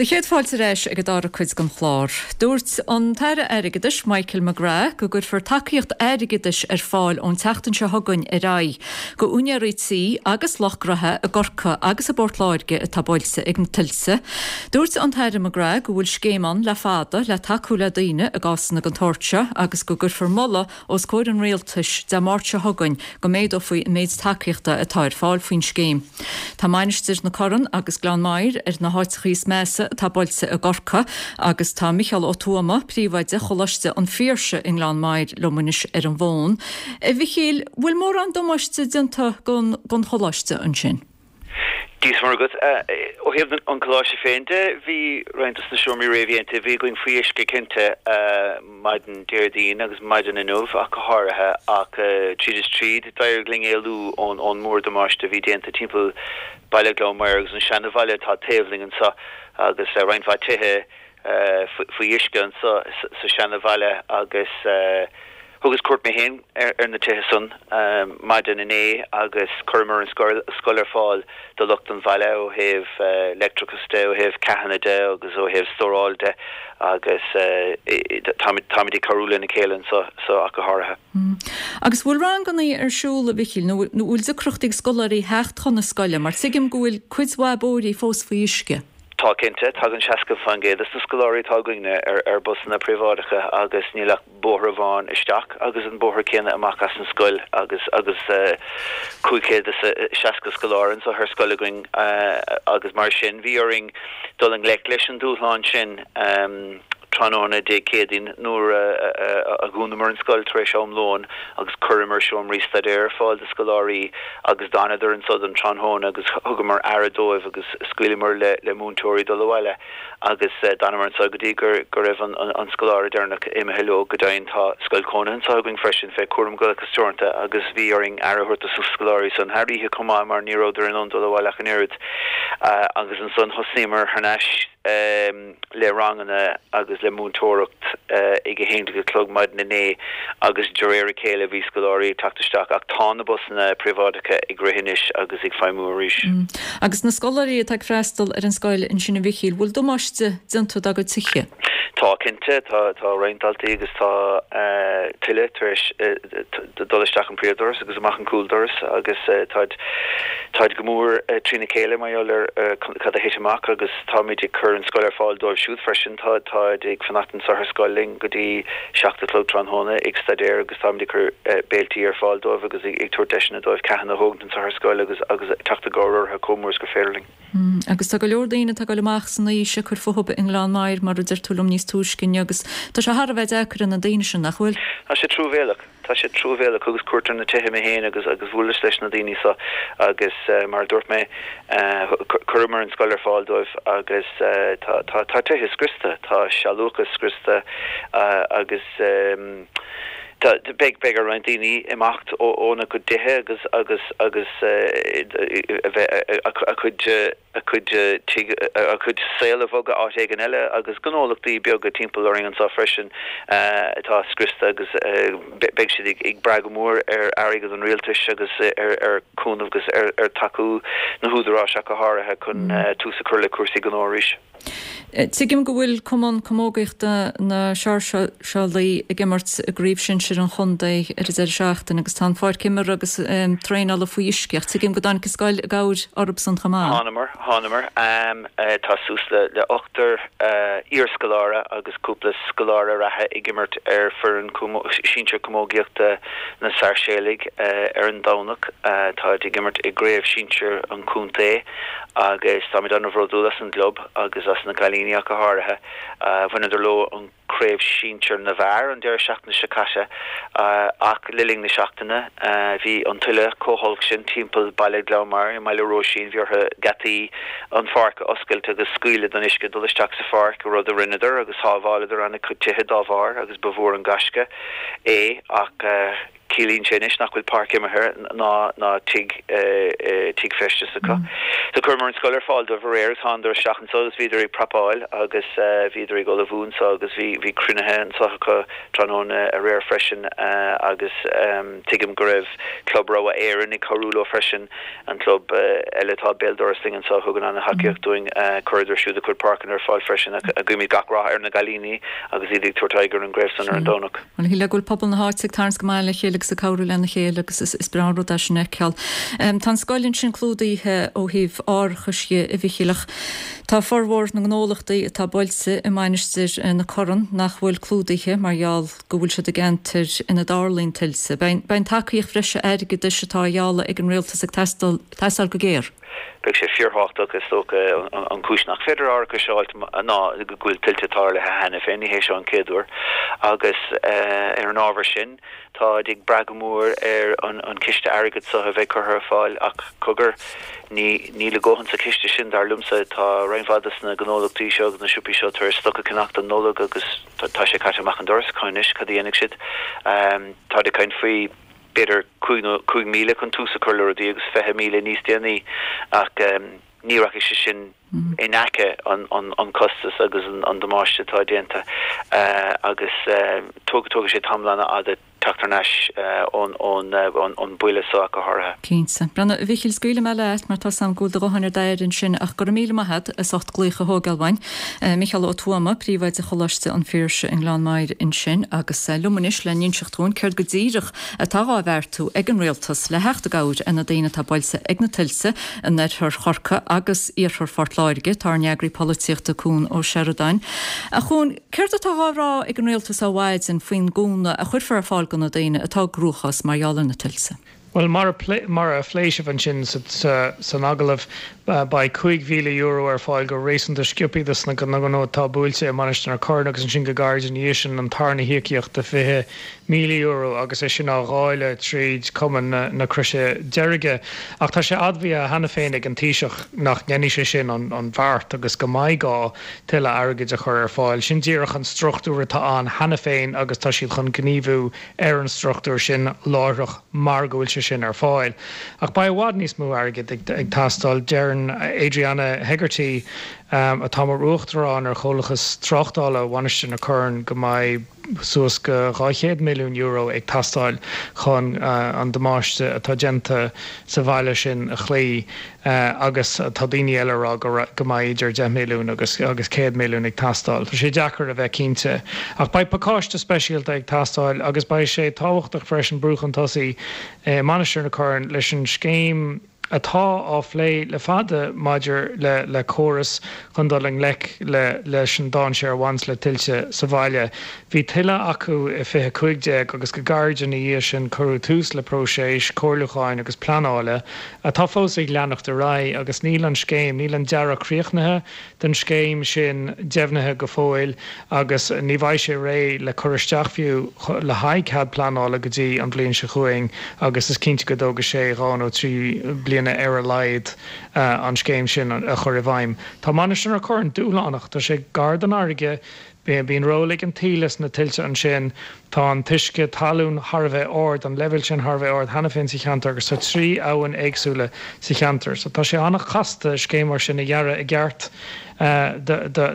Do chéad fáilte ar ais ag an dara cuid den chlár. Dúirt an tAire Airgeadais Michael McGrath go gcuirfear tacaíocht airgeadais ar fáil ón tseachtain seo chugainn ar aghaidh go úinéirí tí agus lucht gnoithe i gCorcaigh agus i bPort Láirge atá buailte ag na tuilte. Dúirt an tAire McGrath go bhfuil scéim ann le fada le tacú le daoine i gcásanna den tsórt seo agus go gcuirfear moladh os comhair an rialtais Dé Máirt seo chugainn go méadófaí an méid tacaíochta atá ar fáil faoin scéim. Tá Mainistir na Corann agus Gleann Maghair ar na háiteacha is measa atá buailte i gCorcaigh agus tá Micheál Ó Tuama, príomhoide Choláiste an Phiarsaigh i nGleann Maghair liom anois ar an bhfón. A Mhichíl, bhfuil mórán damáiste déanta don don choláiste ansin? Dia is Muire dhuit. Ó thaobh an choláiste féin de, bhí roinnt dos na seomraí réamhdhéanta a bhí againn faoi uisce cinnte maidin Déardaoin agus maidin inniu ach go háirithe ach tríd is tríd d'éirigh linn éalú ón ón mór-damáiste a bhí déanta timpeall baile Ghleann Maghair agus an seanabhaile atá taobh linn anseo agus roinnt mhaith tithe faoi uisce anseo sa seanabhaile agus Thugas cuairt mé féin ar na tithe san maidin inné agus chuireamar an scoil ar fáil do lucht an bhaile ó thaobh leictreachas de, ó thaobh ceathanna de agus ó thaobh stóráil de agus táimid ag cabhrú lena chéile anseo ach go háirithe. Agus bhfuil ranganna ar siúl, a Mhichíl, nó bhfuil deacrachtaí ag scoláirí theacht chun na scoile mar tuigim go bhfuil cuid mhaith bóithrí fós faoi uisce? Tá cinnte, tagann seasca faoin gcéad des na scoláirí atá againne ar ar busanna príobháideacha agus níl ach bóthar amháin isteach agus an bóthar céanna amach as an scoil agus agus cúig chéad is seasca scoláire anseo ar scoil againn agus mar sin bhí orainn dul i ngleic leis an dúshlán sin. Tráthnóna Dé Céadaoin nuair a dhúnamar an scoil tar éis am lóin agus chuireamar seomraí staidéir ar fáil do scoláirí agus d'fhanadar anso don tráthnóna agus thugamar aire dóibh agus scaoileamar le le múinteoirí dul abhaile agus d'fhanamar anso go dtí go go raibh an an scoláire deireanach imithe leo. Go deimhin tá scoil chónaithe anso againn freisin fé Cúram Gaelachas Teoranta agus bhí orainn aire a thabhairt dos na scoláirí san thar oíche chomh maith mar ní rabhadar in ann dul abhaile ach an oiread agus ansan thosnaíomar thar n-ais le ranganna agus le múinteoireacht ag a haon déag a chlog maidin inné agus de réir a chéile bhí scoláirí ag teacht isteach ach tá na busanna príobháideacha ag rith anois agus ag feidhmiú arís. Agus na scoláirí atá ag freastal ar an scoil ansin a Mhichíl, bhfuil damáiste déanta dá gcuid tithe? Tá cinnte, tá tá roinnt daltaí agus tá tuile tar éis dul isteach an príomhdoras agus amach an cúldoras agus táid táid go mór trína chéile mar gheall ar cad a thit amach agus táimid ag cur an scoil ar fáil dóibh siúd freisin. Tá táid ag fanacht anseo ar scoil linn go dtí seacht a chlog tráthnóna ag staidéar agus táimid ag cur béiltí ar fáil dóibh agus ag tabhairt deiseanna dóibh ceathanna a thógaint anseo ar scoil agus agus teacht i gcabhair orthu chomh mór is gur féidir linn. Agus tá go leor daoine atá ag dul amach san aois ag cur fúthu i nGleann Maghair mar a deir tú liom níos túisce inniu agus tá sé thar a bheith deacair ar na daoine sin, nach bhfuil? Tá sé truamhéalach. Tá sé truamhéalach. Thugas cuairt ar na tithe mé féin agus agus bhuaileas leis na daoine seo agus mar a dúirt mé chuireamar an scoil ar fáil dóibh agus tá tá tá tithe scriosta, tá sealúchas scriosta agus tá beidh beidh ar roinnt daoine imeacht óna gcuid tithe agus agus agus a bheith a cuid a cuid tigh a cuid saol a bhogadh áit éigin eile agus gnólachtaí beaga timpeall orainn anseo freisin atá scriosta agus beidh siad ag brath go mór ar airgead an rialtais agus ar chúnamh agus ar tacú na húdaráis ach go háirithe chun tús a chur le cúrsaí gnó arís. Tuigim go bhfuil Cumann Camógaíochta na Sáirséalaigh ag imirt i gCraobh Shinsir an Chontae ar an deireadh seachtaine agus tá an pháirc imeartha agus traenála faoi uisce ach tuigim go dtáinig an scoil i gcabhair orthusan chomh maith. Thánamar, thánamar. Tá suas le ochtar iarscoláire agus cúpla scoláire reatha ag imirt ar foireann sinsir camógaíochta na Sáirséalaigh ar an Domhnach. Táid ag imirt i gCraobh Shinsir an Chontae agus táimid an-bhródúil as an gclub agus as na cailíní ach go háirithe. Bhaineadar leo an Craobh Sinsir na bhFear an deireadh seachtaine seo caite ach le linn na seachtaine bhí an tuile chomh holc sin timpeall baile Ghleann Maghair i mBaile Roisín bhí orthu geataí an pháirc a oscailt agus scaoileadh don uisce dul isteach sa pháirc, rud a rinneadar agus shábháileadar an-chuid tithe dá bharr agus ba mhór an gaisce é ach Ciallaíonn sé anois nach bhfuil páirc imeartha ná ná tigh tigh feistis acu. So chuireamar an scoil ar fáil dóibh aréir agus thánadar isteach anso agus bhíodar ag prapáil agus bhíodar ag ullmhú anso agus bhí bhí cruinnithe anso acu tráthnóna aréir freisin agus tuigim go raibh Club Rogha Éireann ag cabhrú leo freisin, an club eile atá béal dorais linn anso a thugann ana-thacaíocht dúinn. Chuireadar siúd a gcuid páirceanna ar fáil freisin ach guímid gach rath ar na gcailíní agus iad ag tabhairt aghaidh ar an gcraobh san ar an Domhnach. Bhuel, shílfeá go bhfuil pobal na háite ag tarraingt go maith le chéile agus ag cabhrú lena chéile agus is breá an rud é sin a fheiceáil. Tá an scoil ansin clúdaithe ó thaobh árachais dhe, a Mhichíl, ach tá formhór na ngnólachtaí atá bailte i Mainistir na Corann nach bhfuil clúdaithe mar gheall go bhfuil siad i gceantair ina dtarlaíonn tuilte. Beidh an tacaíocht bhreise airgeadais atá á ghealladh ag an rialtas ag teastáil go géar. Beidh sé fíorthábhachtach, is dócha. An chúis nach féidir árachas a fháilt ná go bhfuil tuilte tarlaithe cheana féin, ní hé seo an chéad uair, agus ar an ábhar sin, táid ag brath go mór ar an chiste airgid seo a bheidh curtha ar fáil ach cogar, ní níl a dhóthain sa chiste sin, dar liomsa. Tá roinnt mhaith de na gnólachtaí seo agus na siopaí seo tar éis stoc a cheannacht don Nollaig agus tá sé caite amach an doras acu anois, cad a dhéanfaidh siad? Táid ag caint faoi. b'fhéidir cúig nó cúig míle chun tús a chur le rudaí agus fiche míle níos déanaí ach ní rachaidh sé sin in aice an costas agus an damáiste atá déanta agus tógfaidh sé tamall an-fhada teacht thar n-ais ón ón buille seo ach go háirithe. Cinnte. Brendan, a Mhichíl, scaoilfidh mé leat mar tá 's a'm go bhfuil do ghuthán ar d'aire ansin ach go raibh míle maith a't as ucht glaoch a thógáil uainn. Micheál Ó Tuama, Príomhoide Choláiste an Phiarsaigh i nGleann Maghair ansin agus liom anois le n-inseacht dhúinn céard go díreach atá dhá bheartú ag an Rialtas le theacht i gcabhair ar na daoine atá buailte ag na tuilte in oirthear Chorcaí agus iarthar Phort Láirge, tá ár n-eagraí polaitíochta Cuan Ó Seireadáin. A Chuain, céard atá dhá rá ag an Rialtas ó mhaidin faoin gcúnamh a chuirfear ar fáil do na daoine atá i gcruachás mar gheall ar na tuilte? Bhuel, mar a mar a phléigh sibh ansin san agallamh, beidh cúig mhíle euro ar fáil go réasúnta sciobtha dos na gnónna atá buailte i Mainistir na Corann agus ansin go gairid ina dhiaidh sin an tarna híocaíocht de fiche míle euro agus é sin á dháileadh tríd Cumann na Croise Deirge. Ach tá sé admhaithe cheana féin ag an Taoiseach nach ndéanfaidh sé sin an bheart agus go mbeidh gá tuilleadh airgid a chur ar fáil. Sin díreach an struchtúr atá ann cheana féin agus tá siad chun gníomhú ar an struchtúr sin láithreach mar go bhfuil sé sin ar fáil. Ach beidh i bhfad níos mó airgid ag teastáil. Deireann Adriana Hegarty, atá mar uachtarán ar Chomhlachas Tráchtála Mhainistir na Corann, go mbeidh suas go dhá chéad milliún euro ag teastáil chun an damáiste atá déanta sa bhaile sin a chloí agus tá daoine eile ag rá go mbeidh idir deich milliún agus céad milliún ag teastáil. Tá sé deacair a bheith cinnte. Ach beidh pacáiste speisialta ag teastáil agus beidh sé tábhachtach freisin brú chun tosaigh i Mainistir na Corann leis an scéim atá á phlé le fada maidir le le córas chun dul i ngleic le leis an dainséar a bhaineas le tuilte sa bhaile. Bhí tuile acu i fiche cúig déag agus go gairid ina dhiaidh sin cuireadh tús le próiseas comhairliúcháin agus pleanála atá fós ag leanacht ar aghaidh agus níl an scéim, níl an dearadh críochnaithe den scéim sin deimhnithe go fóill agus ní bheidh sé réidh le cur isteach fiú le haghaidh cead pleanála go dtí an bhliain seo chugainn agus is cinnte go dtógfaidh sé dhá nó trí bliana ar a laghad an scéim sin a chur i bhfeidhm. Tá Mainistir na Corann dúshlánach, tá sé gar don fharraige, Bíonn ról ag an taoille sna tuilte ansin. Tá an t-uisce talún thar a bheith ard, an leibhéal sin thar a bheith ard cheana féin sa cheantar agus tá trí abhainn éagsúla sa cheantar. So tá sé an-chasta scéim mar sin a dhearadh i gceart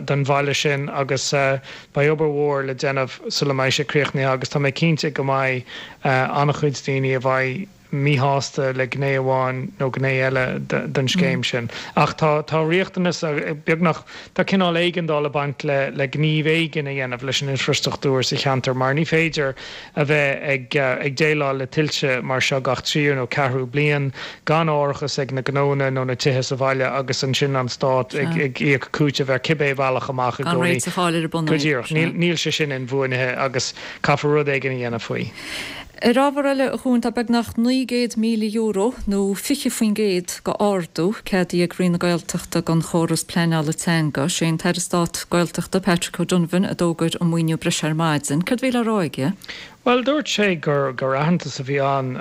don bhaile sin agus beidh obair mhór le déanamh sula mbeidh sé críochnaithe agus tá mé cinnte go mbeidh an-chuid daoine a bheidh míshásta le gné amháin nó gné eile den scéim sin. Ach tá tá riachtanas, beagnach, tá cineál éigeandáil ag baint le le gníomh éigin a dhéanamh leis an infreastruchtúr sa cheantar mar ní féidir a bheith ag ag déileáil le tuilte mar seo gach tríú nó ceathrú bliain gan árachas ag na gnónna nó na tithe sa bhaile agus ansin an stát ag ag íoc cúiteamh ar cibé bealach amach i Gan gcónaí. réiteach a fháil ar an Go mbunfhadhb. díreach. Níl níl sé sin inbhuanaithe agus caithfear rud éigin a dhéanamh faoi. Ar ábhar eile, a Chuain, tá beagnach naoi gcéad míle euro, nó fiche faoin gcéad de ardú, ceadaithe ag Roinn na Gaeltachta don chóras pleanála teanga. Sé an tAire Stáit Gaeltachta, Patrick O'Donovan, a d'fhógair an maoiniú breise ar maidin. Céard a bhí le rá aige? Bhuel, dúirt sé gur gur aitheantas a bhí ann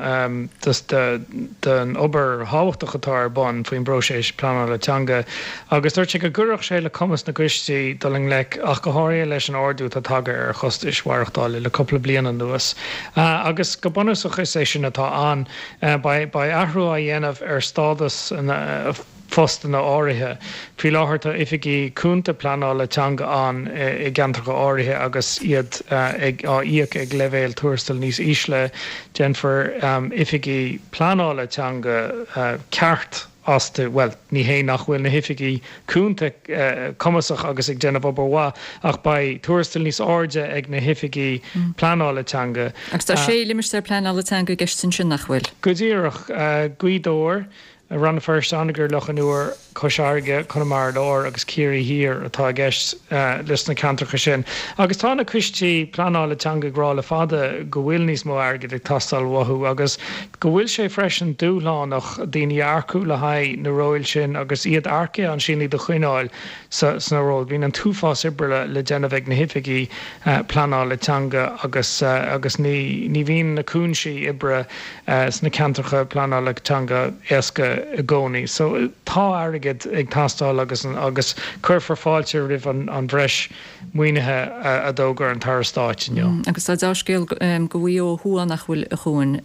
don obair thábhachtach atá ar bun faoin bpróiseas pleanála teanga agus dúirt sé go gcuirfeadh sé le cumas na gcoistí dul i ngleic ach go háirithe leis an ardú atá tagtha ar chostais mhaireachtála le cúpla bliain anuas. Agus go bunúsach is é sin atá ann. Beidh athrú á dhéanamh ar stádas na phostanna áirithe. Faoi láthair tá oifigí cúnta pleanála teanga ann i gceantracha áirithe agus iad ag á íoc ag leibhéal tuarastail níos ísle. Déanfar oifigí pleanála teanga ceart astu. Bhuel, ní hé nach bhfuil na hoifigí cúnta cumasach agus ag déanamh obair mhaith, ach beidh tuarastal níos airde ag na hoifigí pleanála teanga. Agus tá sé limistéar pleanála teanga i gceist ansin, nach bhfuil? Go díreach. Gaoth Dobhair, Rann na Feirste, Anagaire, Loch an Iúir, Cois Fharraige, Conamara Láir agus Ciarraí Thiar atá i gceist leis na ceantracha sin. Agus tá na coistí pleanála teanga ag rá le fada go bhfuil níos mó airgid ag teastáil uathu agus go bhfuil sé freisin dúshlánach daoine a earcú le haghaidh na róil sin agus iad earcaithe ansin iad a choinneáil sna róil. Bíonn an t-uafás oibre le déanamh ag na hoifigí pleanála teanga agus agus ní ní bhíonn na cúinsí oibre sna ceantracha pleanála teanga éasca i gcónaí. So tá airgead ag teastáil agus agus cuirfear fáilte roimh an bhreis maoinithe a d'fhógair an tAire Stáit inniu. Agus tá dea-scéal do Mhaigh Eo Thuaidh nach bhfuil, a Chuain?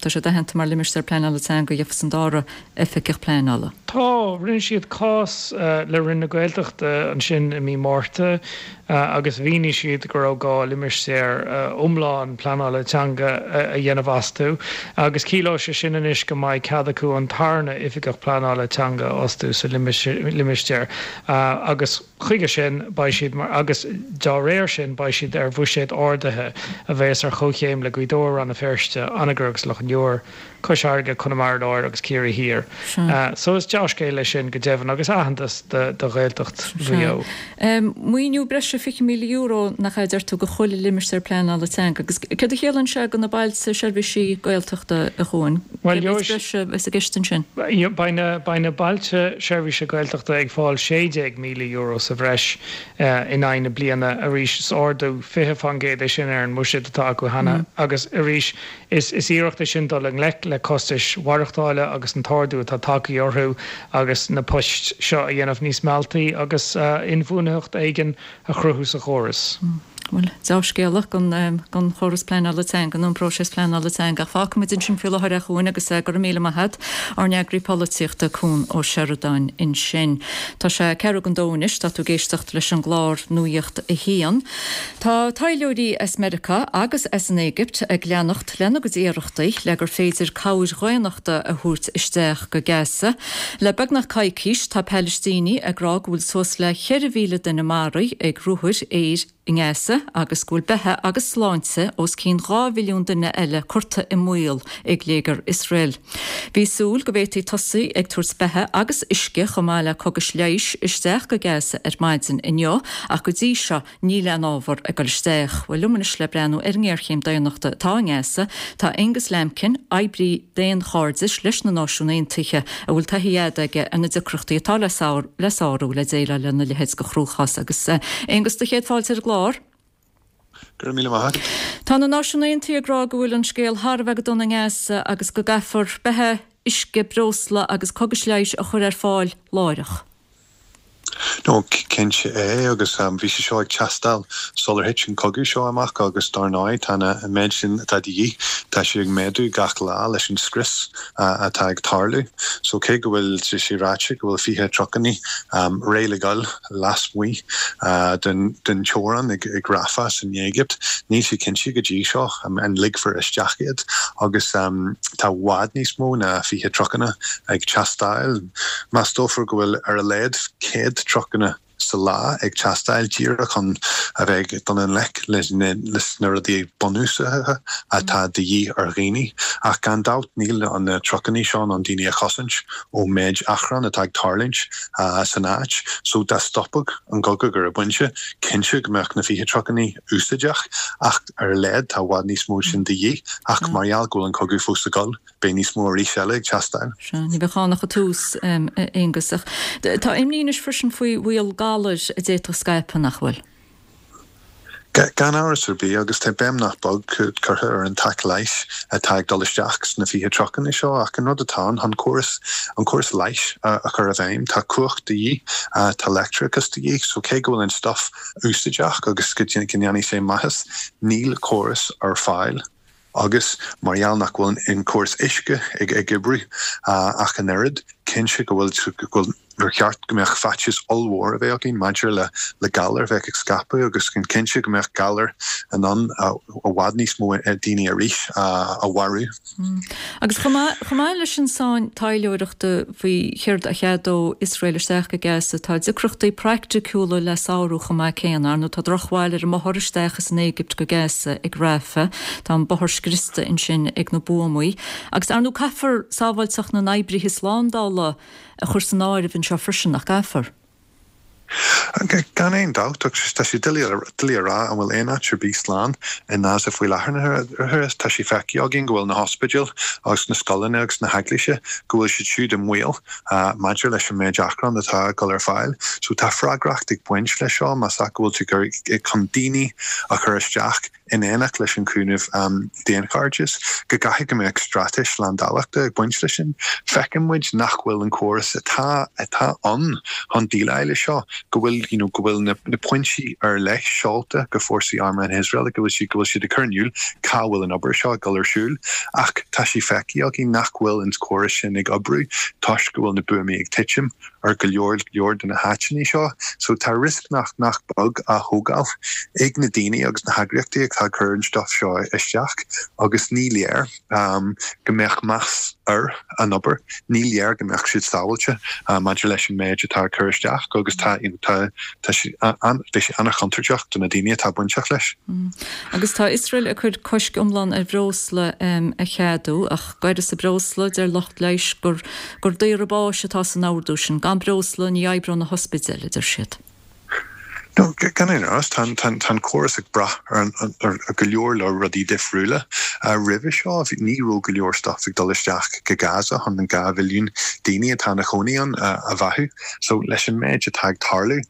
Tá sé aitheanta mar limistéar pleanála teanga, gheofas an dara oifigeach pleanála. Tá, rinne siad cás le Roinn na Gaeltachta ansin i mí Márta. agus mhínigh siad go raibh gá limistéar iomlán pleanála teanga a dhéanamh astu agus ciallóidh sé sin anois go mbeidh cead acu an tarna oifigeach pleanála teanga a fhostú sa limistéar agus chuige sin beidh siad mar agus dá réir sin beidh siad ar bhuiséad ardaithe a bheas ar chomhchéim le Gaoth Dobhair, Rann na Feirste, Anagaire agus Loch an Iúir. Cois Fharraige, Conamara Láir agus Ciarraí Thiar. So is dea-scéal é sin go deimhin agus aitheantas do Ghaeltacht Mhaigh Eo. Maoiniú breise fiche míle euro nach ea, deir tú, do chuile limistéar pleanála teanga agus céard a chiallaíonn sé do na bailte seirbhísí Gaeltachta, a Chuain? Cé mhéad breise a bheas i gceist ansin? Beidh na bailte seirbhíse Gaeltachta ag fáil sé déag míle euro sa bhreis in aghaidh na bliana. Arís is ardú fiche faoin gcéad é sin ar an mbuiséad atá acu cheana agus arís Is iarracht é sin dul i ngleic le costais mhaireachtála agus an t-ardú atá tagtha orthu agus na poist seo a dhéanamh níos mealltaí agus inbhuanaitheacht éigin a chruthú sa chóras. Bhuel, deá-scéala don chóras pleanála teanga nó an próiseas pleanála teanga. Ach fágfaimid ansin faoi láthair é a Chuain agus go raibh míle maith agat, ár n-eagraí polaitíochta Cuan Ó Seireadáin ansin. Tá sé ceathrú don dó anois, tá tú ag éisteacht leis an gclár Nuacht a hAon. Tá taidhleoirí as Meiriceá agus as an Éigipt ag leanacht lena gcuid iarrachtaí le gur féidir cabhair dhaonnachta a thabhairt isteach go Gaza. Le beagnach coicís, tá Palaistínigh ag rá go bhfuil suas le ceithre mhíle duine maraithe ag ruathair aeir i nGaza agus go bhfuil beatha agus sláinte os cionn dhá mhilliún duine eile curtha i mbaol ag léigear Iosrael. Bhí súil go bhféadfaí tosaí ag tabhairt beatha agus uisce chomh maith le cógais leighis isteach go Gaza ar maidin inniu ach go dtí seo níl aon ábhar ag dul isteach. Bhuel, liom anois le breathnú ar an ngéarchéim daonnachta atá i nGaza tá Aengus Lambkin, oibrí daonchairdis leis na Náisiúin Aontaithe a bhfuil taithí fhada aige ar na deacrachtaí atá le sárú le déileáil lena leithéid de chruachás. Agus Aengus, do chéad fáilte ar an gclár. Go raibh míle maith agat. Tá na Náisiúin Aontaithe ag rá go bhfuil an scéal thar a bheith go dona i nGaza agus go gcaithfear beatha, uisce, breosla agus cógais leighis a chur ar fáil láithreach. No, cinnte é agus bhí sé seo ag teastáil sular thit an cogadh seo amach agus dar ndóigh tá an méid sin atá de dhíth, tá sé ag méadú gach lá leis an scrios atá ag tarlú. So cé go bhfuil sé ráite go bhfuil fiche trucannaí réidh le goil lasmuigh den teorainn ag Rafah san Éigipt, níl sé cinnte go dtí seo an ligfear isteach iad agus tá i bhfad níos mó ná fiche trucanna ag teastáil. Meastófar go bhfuil ar a laghad céad trucanna sa lá ag teastáil díreach chun a bheith ag dul i ngleic leis na rudaí bunúsacha atá de dhíth ar dhaoine. Ach gan dabht níl na trucannaí seo in ann daoine a chosaint ón méid achrann atá ag tarlúint san áit. So dá stopfadh an cogadh ar an bpointe, cinnte go mbeadh na fiche trucannaí úsáideach ach ar a laghad tá i bhfad níos mó sin de dhíth ach mar gheall go bhfuil an cogadh fós ag dul, Beidh níos mó arís eile ag teastáil. Sea, ní bheadh ann ach an tús, a Aonghus. Ach tá imní anois freisin faoi bhaol galair a d'fhéadfadh scaipeadh, nach bhfuil? Gan amhras ar bith, agus tá béim nach beag curtha ar an taca leighis atá ag dul isteach sna fiche trucanna seo, ach an rud atá ann, chun córas, an córas leighis a chur i bhfeidhm, tá cumhacht de dhíth, tá leictreachas de dhíth, so cé go bhfuil an stuif úsáideach agus go ndéanfaidh sé maitheas, níl córas ar fáil. Agus mar gheall nach bhfuil an córas uisce ag oibriú ach an oiread, cinnte go bhfuil, go bhfuil, gur cheart go mbeadh faitíos ollmhór a bheith againn maidir le le galar a bheith ag scaipeadh agus cinnte go mbeadh galar in ann i bhfad níos mó daoine arís a mharú. Agus chomh maith, chomh maith leis an tsáinn taidhleoireachta faoi chéard a cheadódh Iosrael isteach go Gaza, tá deacrachtaí praiticiúla le sárú chomh maith céanna. Ar ndóigh, tá drochbhail ar an mbothar isteach as an Éigipt go Gaza ag Rafah. Tá an bothar scriosta ansin ag na buamaí. Agus ar ndóigh, caithfear sábháilteacht na n-oibrithe slándála a chur san áireamh anseo freisin, nach gcaithfear? Gan aon dabht, ach tá sé doiligh a rá an bhfuil aon áit ar bith slán i nGaza faoi láthair. Tá sé feicthe againn go bhfuil na hospidéil agus na scoileanna agus na heaglaise, go bhfuil siad siúd i mbaol maidir leis an méid achrann atá ag dul ar fáil. So tá freagracht ag baint leis seo más ea go bhfuil tú chun daoine a chur isteach in éineacht leis an chúnamh daonchairdis, go gcaithfidh go mbeadh straitéis slándála ag baint leis sin. Feiceann muid nach bhfuil an córas atá atá ann chun déileáil leis seo, go bhfuil you know go bhfuil na na pointí ar leith seolta go fórsaí armtha na hIosrael, go bhfuil siad go bhfuil siad ag cur in iúl cá bhfuil an obair seo ag dul ar siúl. Ach tá sé feicthe againn nach bhfuil an córas sin ag oibriú toisc go bhfuil na buamaí ag titim. ar go leor leor de na háiteanna seo, so tá riosca nach nach beag á thógáil ag na daoine agus na heagraíochtaí atá ag cur an stuif seo isteach agus ní léir um, go mbeadh meas ar an obair, ní léir go mbeadh siad sábháilte uh, maidir leis an méid atá cur isteach agus tá tá tá sé an beidh sé an-chontúirteach do na daoine atá bainteach leis. Mm. Agus tá Iosrael ag cur cosc iomlán ar bhreosla um, a cheadú ach d'uireasa breosla deir lucht leighis gur gur daoradh báis atá san ordú sin gan breosla ní oibreoidh na hospidéil a deir siad. No, gan aon amhras tá an córas ag brath ar ar go leor leor rudaí difriúla. Roimhe seo ní raibh go leor stuff ag dul isteach go Gaza chun an dhá mhilliún daoine atá ina chónaí ann a bheathú. So leis an méid atá ag tarlú,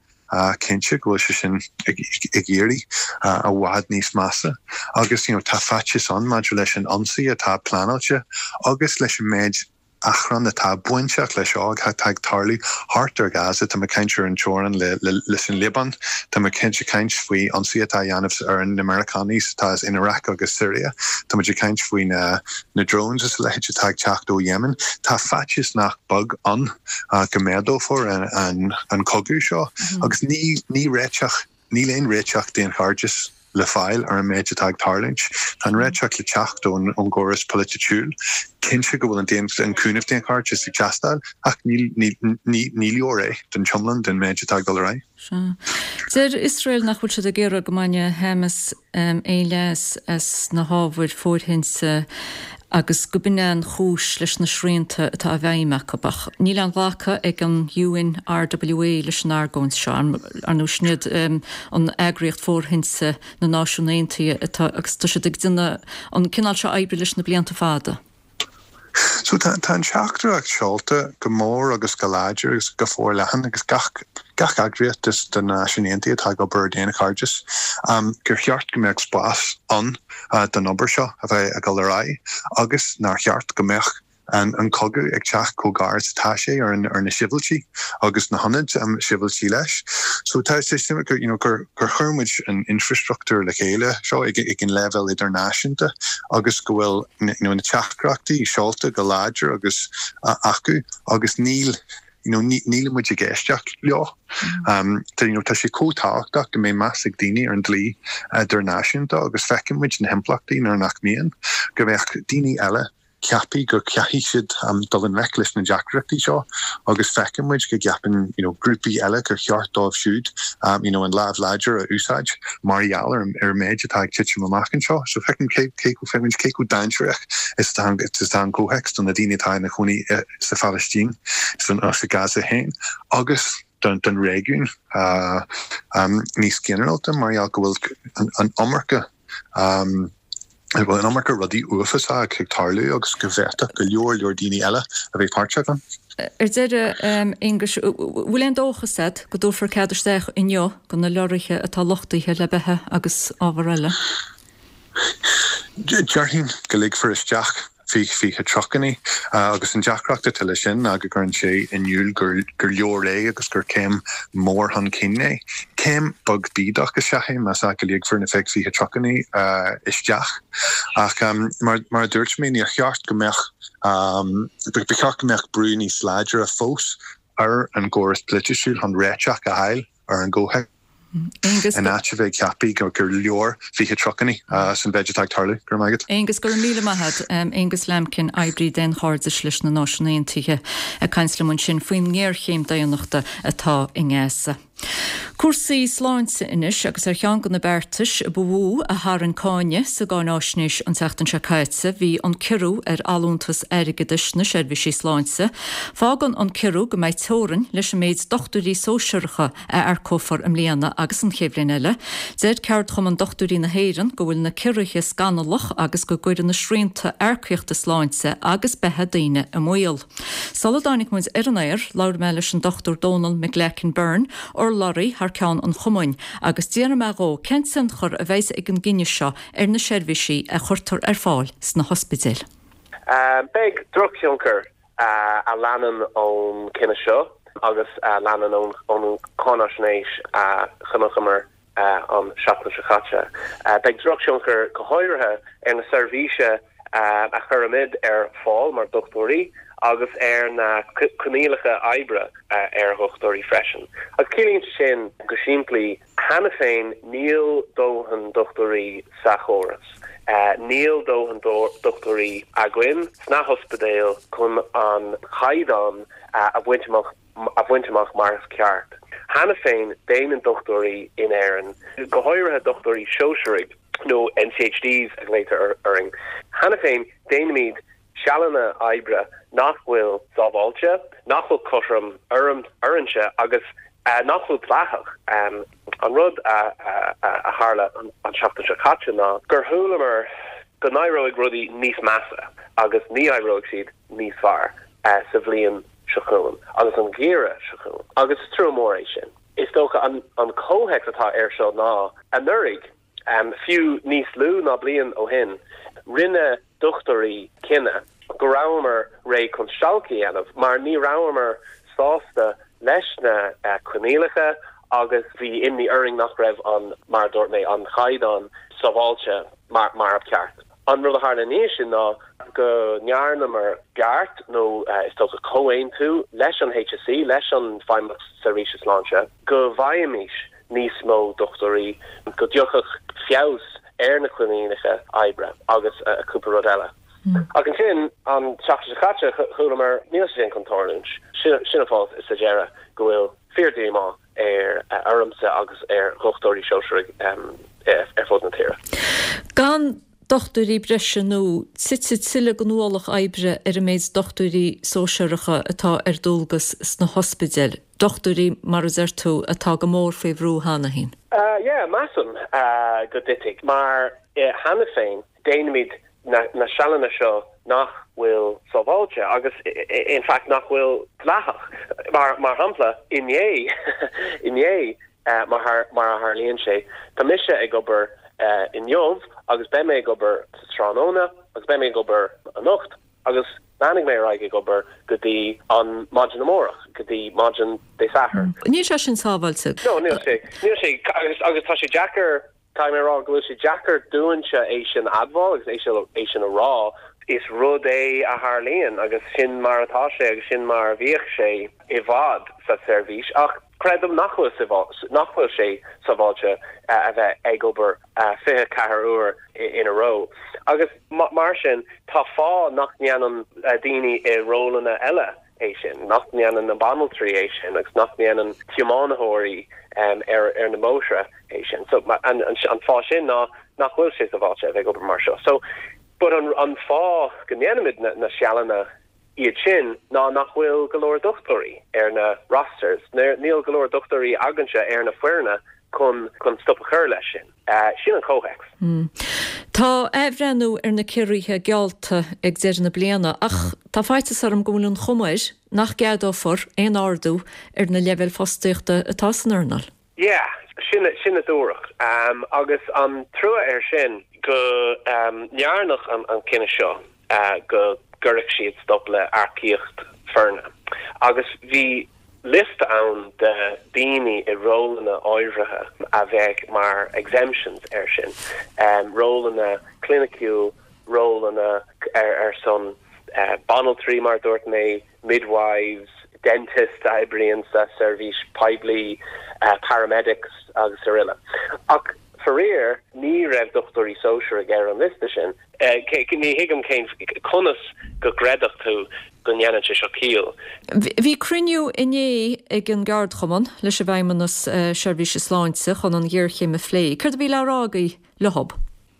cinnte go bhfuil sé sin ag éirí i bhfad níos measa. Agus you know, tá faitíos ann maidir leis an ionsaí atá pleanáilte agus leis an méid achrann atá bainteach leis seo atá ag tarlú thart ar Gaza, tá mé ag caint ar an teorainn leis an Liobáin, tá mé cinnte ag caint faoi ionsaí atá á dhéanamh ar na Meiriceánaigh atá in Iraq agus Syria, tá muid ag caint faoi na na drones is a leithéid atá ag teacht ó Yemen. Tá faitíos nach beag ann go méadófar an an cogadh seo agus ní ní réiteach níl aon réiteach daonchairdis le fáil ar an méid atá ag tarlúint. Tá an réiteach le teacht ón ón gcóras polaitiúil. Cinnte go bhfuil an daon an cúnamh daonchairdis ag teastáil ach ní ní ní ní leor é don iomlán den méid atá ag dul ar aghaidh. Sea. Deir Iosrael nach bhfuil siad ag iarraidh go mbainfeadh Hamas aon leas as na hábhair fóirithinte agus go b'in an chúis leis na srianta atá i bhfeidhm acu. Ach níl aon ghlacadh ag an UNRWA leis an argóint seo, ar ndóigh sin iad an eagraíocht fóirithinte na Náisiún Aontaithe atá agus tá siad ag déanamh an cineál seo oibre leis na blianta fada. So tá tá an teachtaireacht seolta go mór agus go láidir agus go forleathan agus gach gach eagraíocht de na Náisiúin Aontaithe atá ag obair ar daonchairdeas um, gur cheart go mbeadh spás ann uh, don obair seo a bheith ag dul ar aghaidh agus nár cheart go mbeadh an an cogadh ag teacht chomh gar is atá sé ar an ar na sibhialtaigh agus na hionaid um, sibhialtaigh leis. So tá sé sin gur you know, gur gur chuir muid an infrastruchtúr le chéile seo ag, ag an leibhéal idirnáisiúnta agus go bhfuil you know, na teachtaireachtaí seolta go láidir agus uh, acu agus níl you know, níl muid ag éisteacht leo. Um, tá, you know, tá sé chomh tábhachtach go mbeidh meas ag daoine ar an dlí idirnáisiúnta agus feiceann muid na himpleachtaí nuair nach mbíonn go mbeadh daoine eile ceaptha go gcaithfidh siad um, dul i ngleic leis na deacrachtaí seo agus feiceann muid go gceapann you know, grúpaí eile gur cheart dóibh siúd um, you know, an lámh láidir a úsáid mar gheall ar ar méid atá ag titim amach anseo. So feiceann cé cé feiceann cé chomh dainséarach is atá is atá an comhthéacs do na daoine atá ina gcónaí eh, sa Phalaistín san sa Gaza féin agus don don réigiún uh, um, níos ginearálta mar gheall go bhfuil an, an iomarca um, go bhfuil an iomarca rudaí uafásacha ag tarlú agus go bhféadfadh go leor leor daoine eile a bheith páirteach ann. Ar deireadh, Aonghus, bhfuil aon dóchas agat go dtabharfar cead isteach inniu do na leoraithe atá luchtaithe le beatha agus ábhar eile? Déarfainn go ligfear isteach fiche fiche trucannaí agus an deacracht atá leis sin ná go gcuireann sé in iúl gur gur leor é agus gur céim mór chun cinn é. Céim beag bídeach is ea é más ea go ligfear na fiche fiche trucannaí isteach ach mar mar a dúirt mé níor cheart go mbeadh ba cheart go mbeadh brú níos láidre fós ar an gcóras polaitiúil chun réiteach a fháil ar an gcomhthéacs. In áit a bheith ag ceapadh gur gur leor fiche trucannaí san mhéid atá ag tarlú. Go raibh maith agat. Aonghus, go raibh míle maith agat. Aonghus Lambkin, oibrí daonchairdis leis na Náisiúin Aontaithe, ag caint liom ansin faoin ngéarchéim daonnachta atá i nGaza. Cúrsaí sláinte anois agus ar cheann de na beartais ba mhó a tharraing cáineadh sa gcáináisnéis an tseachtain seo caite bhí an ciorrú ar allúntas airgeadais na seirbhísí sláinte. Fágann an ciorrú go mbeidh teorainn leis an méid dochtúirí sóisearacha a earcófar i mbliana agus an chéad bhliain eile. Deir Ceardchumann Dochtúirí na hÉireann go bhfuil na ciorruithe scannalach agus go gcuireann na srianta earcaíochta sláinte agus beatha daoine i mbaol. Sula dtáinig muid ar an aer, labhair mé leis an Dochtúir Dónal McGlacken Byrne, urlabhraí thar ceann an chumainn, agus d'fhiafraigh mé dhó cén tionchar a bheidh ag an gcinneadh seo ar na seirbhísí a chuirtear ar fáil sna hospidéil. Beidh drochthionchar a leanann ón gcinneadh seo agus a leanann ón gcáinaisnéis a chonaiceamar an seachtain seo caite. Beidh drochthionchar go háirithe ar na seirbhísí a chuirimid ar fáil mar dochtúirí agus ar na coinníollacha oibre ar dhochtúirí freisin. Agus ciallaíonn sé sin go simplí, cheana féin níl dóthain dochtúirí sa chóras. Níl dóthain dochtúirí againn sna hospidéil chun an caighdeán a bhaint amach a bhaint amach mar is ceart. Cheana féin déanann dochtúirí in Éirinn, go háirithe dochtúirí sóisearaigh nó N C H Ds a ghlaotar orainn, cheana féin déanaimid sealanna oibre nach bhfuil sábháilte, nach bhfuil cothrom ormsa agus nach bhfuil dleathach. An rud a a tharla an tseachtain seo caite ná gur chualamar go n-éireoidh rudaí níos measa agus ní éireoidh siad níos fearr sa bhliain seo chugainn agus an geimhreadh seo chugainn. Agus is trua mór é sin. Is dócha an an comhthéacs atá air seo ná anuraidh, um, fiú níos lú ná bliain ó shin, rinne dochtúirí cinneadh go rabhamar réidh chun stailc a dhéanamh mar ní rabhamar sásta leis na uh, coinníollacha agus bhí imní orainn nach raibh an mar dúirt mé an caighdeán sábháilte mar mar ab ceart. An rud a tharla anois sin ná go ndearnamar beart nó uh, is dócha comhaontú leis an H S E, leis an Feidhmeannacht Seirbhíse Sláinte, go bhfaighimís níos mó dochtúirí, go dtiocfadh feabhas ar na coinníollacha oibre agus uh, cúpla rud eile. Mm. Ach ansin an tseachtain seo caite chualamar níl sin chun tarlúint. Sin an fáth is sa deireadh go bhfuil fíordhíomá ar uh, ormsa agus ar dhochtúirí sóisearaigh um, ar fud na tíre. Gan dochtúirí breise nó titfidh tuilleadh den ualach oibre ar an méid dochtúirí sóisearacha atá ar dualgas sna hospidéil. Dochtúirí mar a deir tú atá go mór faoi bhrú cheana féin. Uh, yeah, measaim uh, go dtitfidh mar uh, cheana féin déanaimid na, na sealanna seo nach bhfuil sábháilte agus in fact nach bhfuil dleathach. Mar mar shampla inné inné uh, mar mar a tharlaíonn sé Tá mise ag obair uh, inniu agus beidh mé ag obair sa tráthnóna agus beidh mé ag obair anocht agus leanfaidh mé ar aghaidh ag obair go dtí an maidin amárach go dtí maidin Dé Sathairn. Mm. Níl sé sin sábháilte. No, níl sé níl sé agus agus tá sé deacair tá mé rá go bhfuil sé deacair dúinse é sin admháil agus é sin é sin a rá is rud é a tharlaíonn agus sin mar atá sé agus sin mar a bhíodh sé i bhfad sa seirbhís ach creidim nach bhfuil nach bhfuil sé sábháilte a bheith ag obair fiche ceathair uair in a row. Agus mar sin tá fáth nach ndéanann daoine i rólanna eile é sin, nach ndéanann na banaltraí é sin agus nach ndéanann tiománaithe um, ar ar na bóithre é sin. So an, an, an fáth sin ná nach bhfuil sé sábháilte bheith ag obair mar seo. So but an, an fáth go ndéanaimid na, na sealanna iad sin ná nach bhfuil go leor dochtúirí ar na rosters. Níl go leor dochtúirí againne ar na foirne chun chun stop a chur leis sin. Uh, sin an comhthéacs. Mm. Tá athbhreithniú ar na ciorruithe geallta ag deireadh na bliana ach tá faitíos orm go bhfuil an chuma air nach gceadófar aon ardú ar na leibhéil fostaíochta atá san earnáil. Yeah, sin sin a dúradh. Um, agus an trua air sin go um, ndearnadh an, an cinneadh seo uh, go gcuirfeadh siad stop le earcaíocht foirne. Agus bhí liosta ann de daoine i rólanna áirithe a bheadh mar exemptions air sin. Um, rólanna cliniciúil, rólanna ar, ar son uh, banaltraí mar dúirt mé, midwives, dentist a oibríonn sa seirbhís poiblí, uh, paramedics agus araile. Ach faraor ní raibh dochtúirí sóisearaigh ar an liosta sin. Uh, ní thuigim cén conas go gcreidfeadh tú go ndéanann sé seo ciall. Bhí cruinniú inné ag an gceardchumann leis an bhFeidhmeannas uh, Seirbhíse Sláinte chun an ghéarchéim a phlé. Céard a bhí le rá agaibh leo?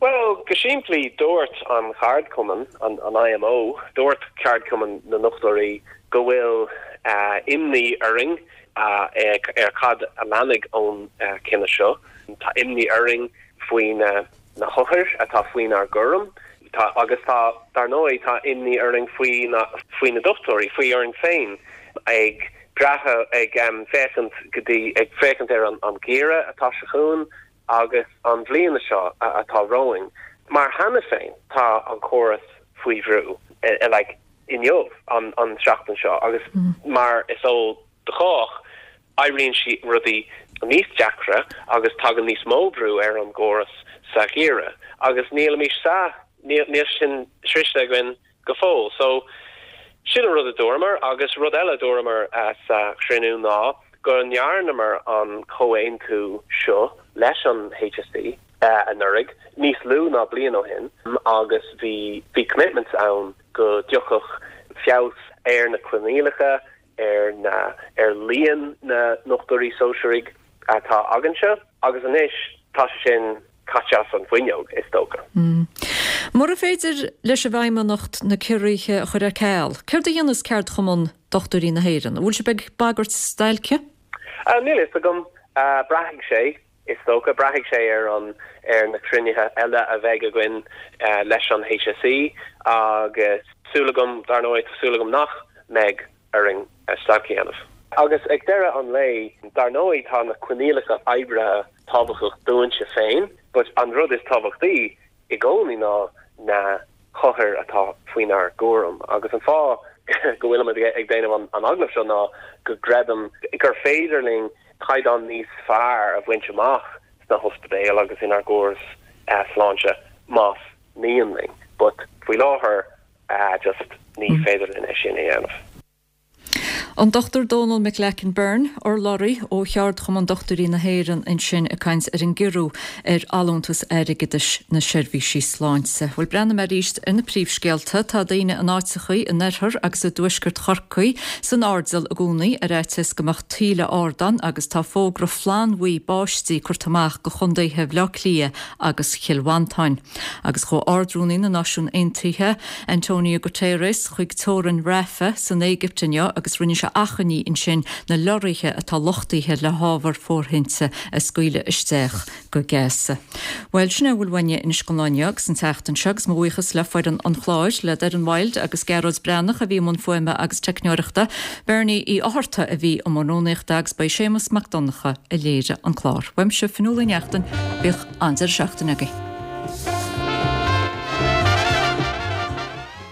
Well, go simplí dúirt an cheardchumann an, an I M O, dúirt ceardchumann na ndochtúirí go bhfuil uh, imní orainn uh, ar cad a leanfaidh ón uh, cinneadh seo. Tá imní orainn faoi na, na hothair atá faoinár gcúram. Tá, agus tá dar ndóigh tá imní orainn faoi na faoi na dochtúirí faoi orainn féin ag brath ag um, féachaint go dtí ag féachaint ar an, an geimhreadh atá seo chugainn agus an bhliain seo atá romhainn. Mar cheana féin tá an córas faoi bhrú e, e, like, inniu an, an seachtain seo agus mm. mar is eol do chách éiríonn sí rudaí níos deacra agus tagann níos mó brú ar an gcóras sa gheimhreadh agus nílimid sa níl níl sin sroichte againn go fóill. So sin an rud a dúramar agus rud eile a dúramar sa chruinniú ná go ndearnamar an comhaontú seo leis an HSE anuraidh níos lú ná bliain ó shin agus bhí bhí commitments ann go dtiocfadh feabhas ar na coinníollacha ar na ar líon na ndochtúirí sóisearaigh atá againnse agus anois tá sé sin caite as an bhfuinneog is dócha. Mm. Mura féidir leis an bhFeidhmeannacht na ciorruithe a chur ar ceal, céard a dhéanfas Ceardchumann Dochtúirí na hÉireann? An bhfuil sibh ag bagairt stailce? Uh, níl fhios agam uh, braithfidh sé is dócha braithfidh sé ar an ar na cruinnithe eile a bheidh againn uh, leis an HSE agus súil agam dar ndóigh súil agam nach mbeidh orainn stailc a dhéanamh. Agus ag deireadh an lae dar ndóigh tá na coinníollacha oibre tábhachtach dúinne féin, but an rud is tábhachtaí i gcónaí ná na hothair atá faoinár gcúram agus an fáth go bhfuilim ag déanamh an, an agallamh seo ná go gcreidim gur féidir linn caighdeán níos fearr a bhaint amach sna hospidéil agus inár gcóras uh, sláinte más mian linn, but faoi láthair uh, just ní mm. féidir linn é sin a dhéanamh. An Dr Donal McGlacken Byrne urlabhraí ó Cheardchumann Dochtúirí na hÉireann ansin ag caint ar an gciorrú ar allúntas airgeadais na seirbhísí sláinte. Bhuel breathnóidh mé arís ar na príomhscéalta tá daoine in áiteachaí in oirthear agus i dtuaisceart Chorcaí san airdeall i gcónaí ar fhaitíos go mbeadh tuile ard ann agus tá fógra flannbhuí báistí curtha amach go chontaetha Bhaile Átha Cliath agus Chill Mhantáin. Agus chuaigh Ard-Rúnaí na Náisiún Aontaithe Antonio Guterres chuig teorainn Rafah san Éigipt inniu agus rinne sé achainí ansin na lorraithe atá luchtaithe le hábhar fóirithinte a scaoileadh isteach go Gaza. Well sin a bhfuil uainne anois don lá inniu agus an tseachtain seo agus mo bhuíochas le foireann an chláir le Darren Wild agus Gearóid Breathnach a bhí i mbun fuaime agus teicneoireachta, Bernie Uí Fhátharta a bhí i mbun rúnaíochta agus ba é Séamus Mac Donncha a léirigh an clár. Uaimse Fionnuala Ní Neachtain bíodh an-deireadh seachtaine agaibh.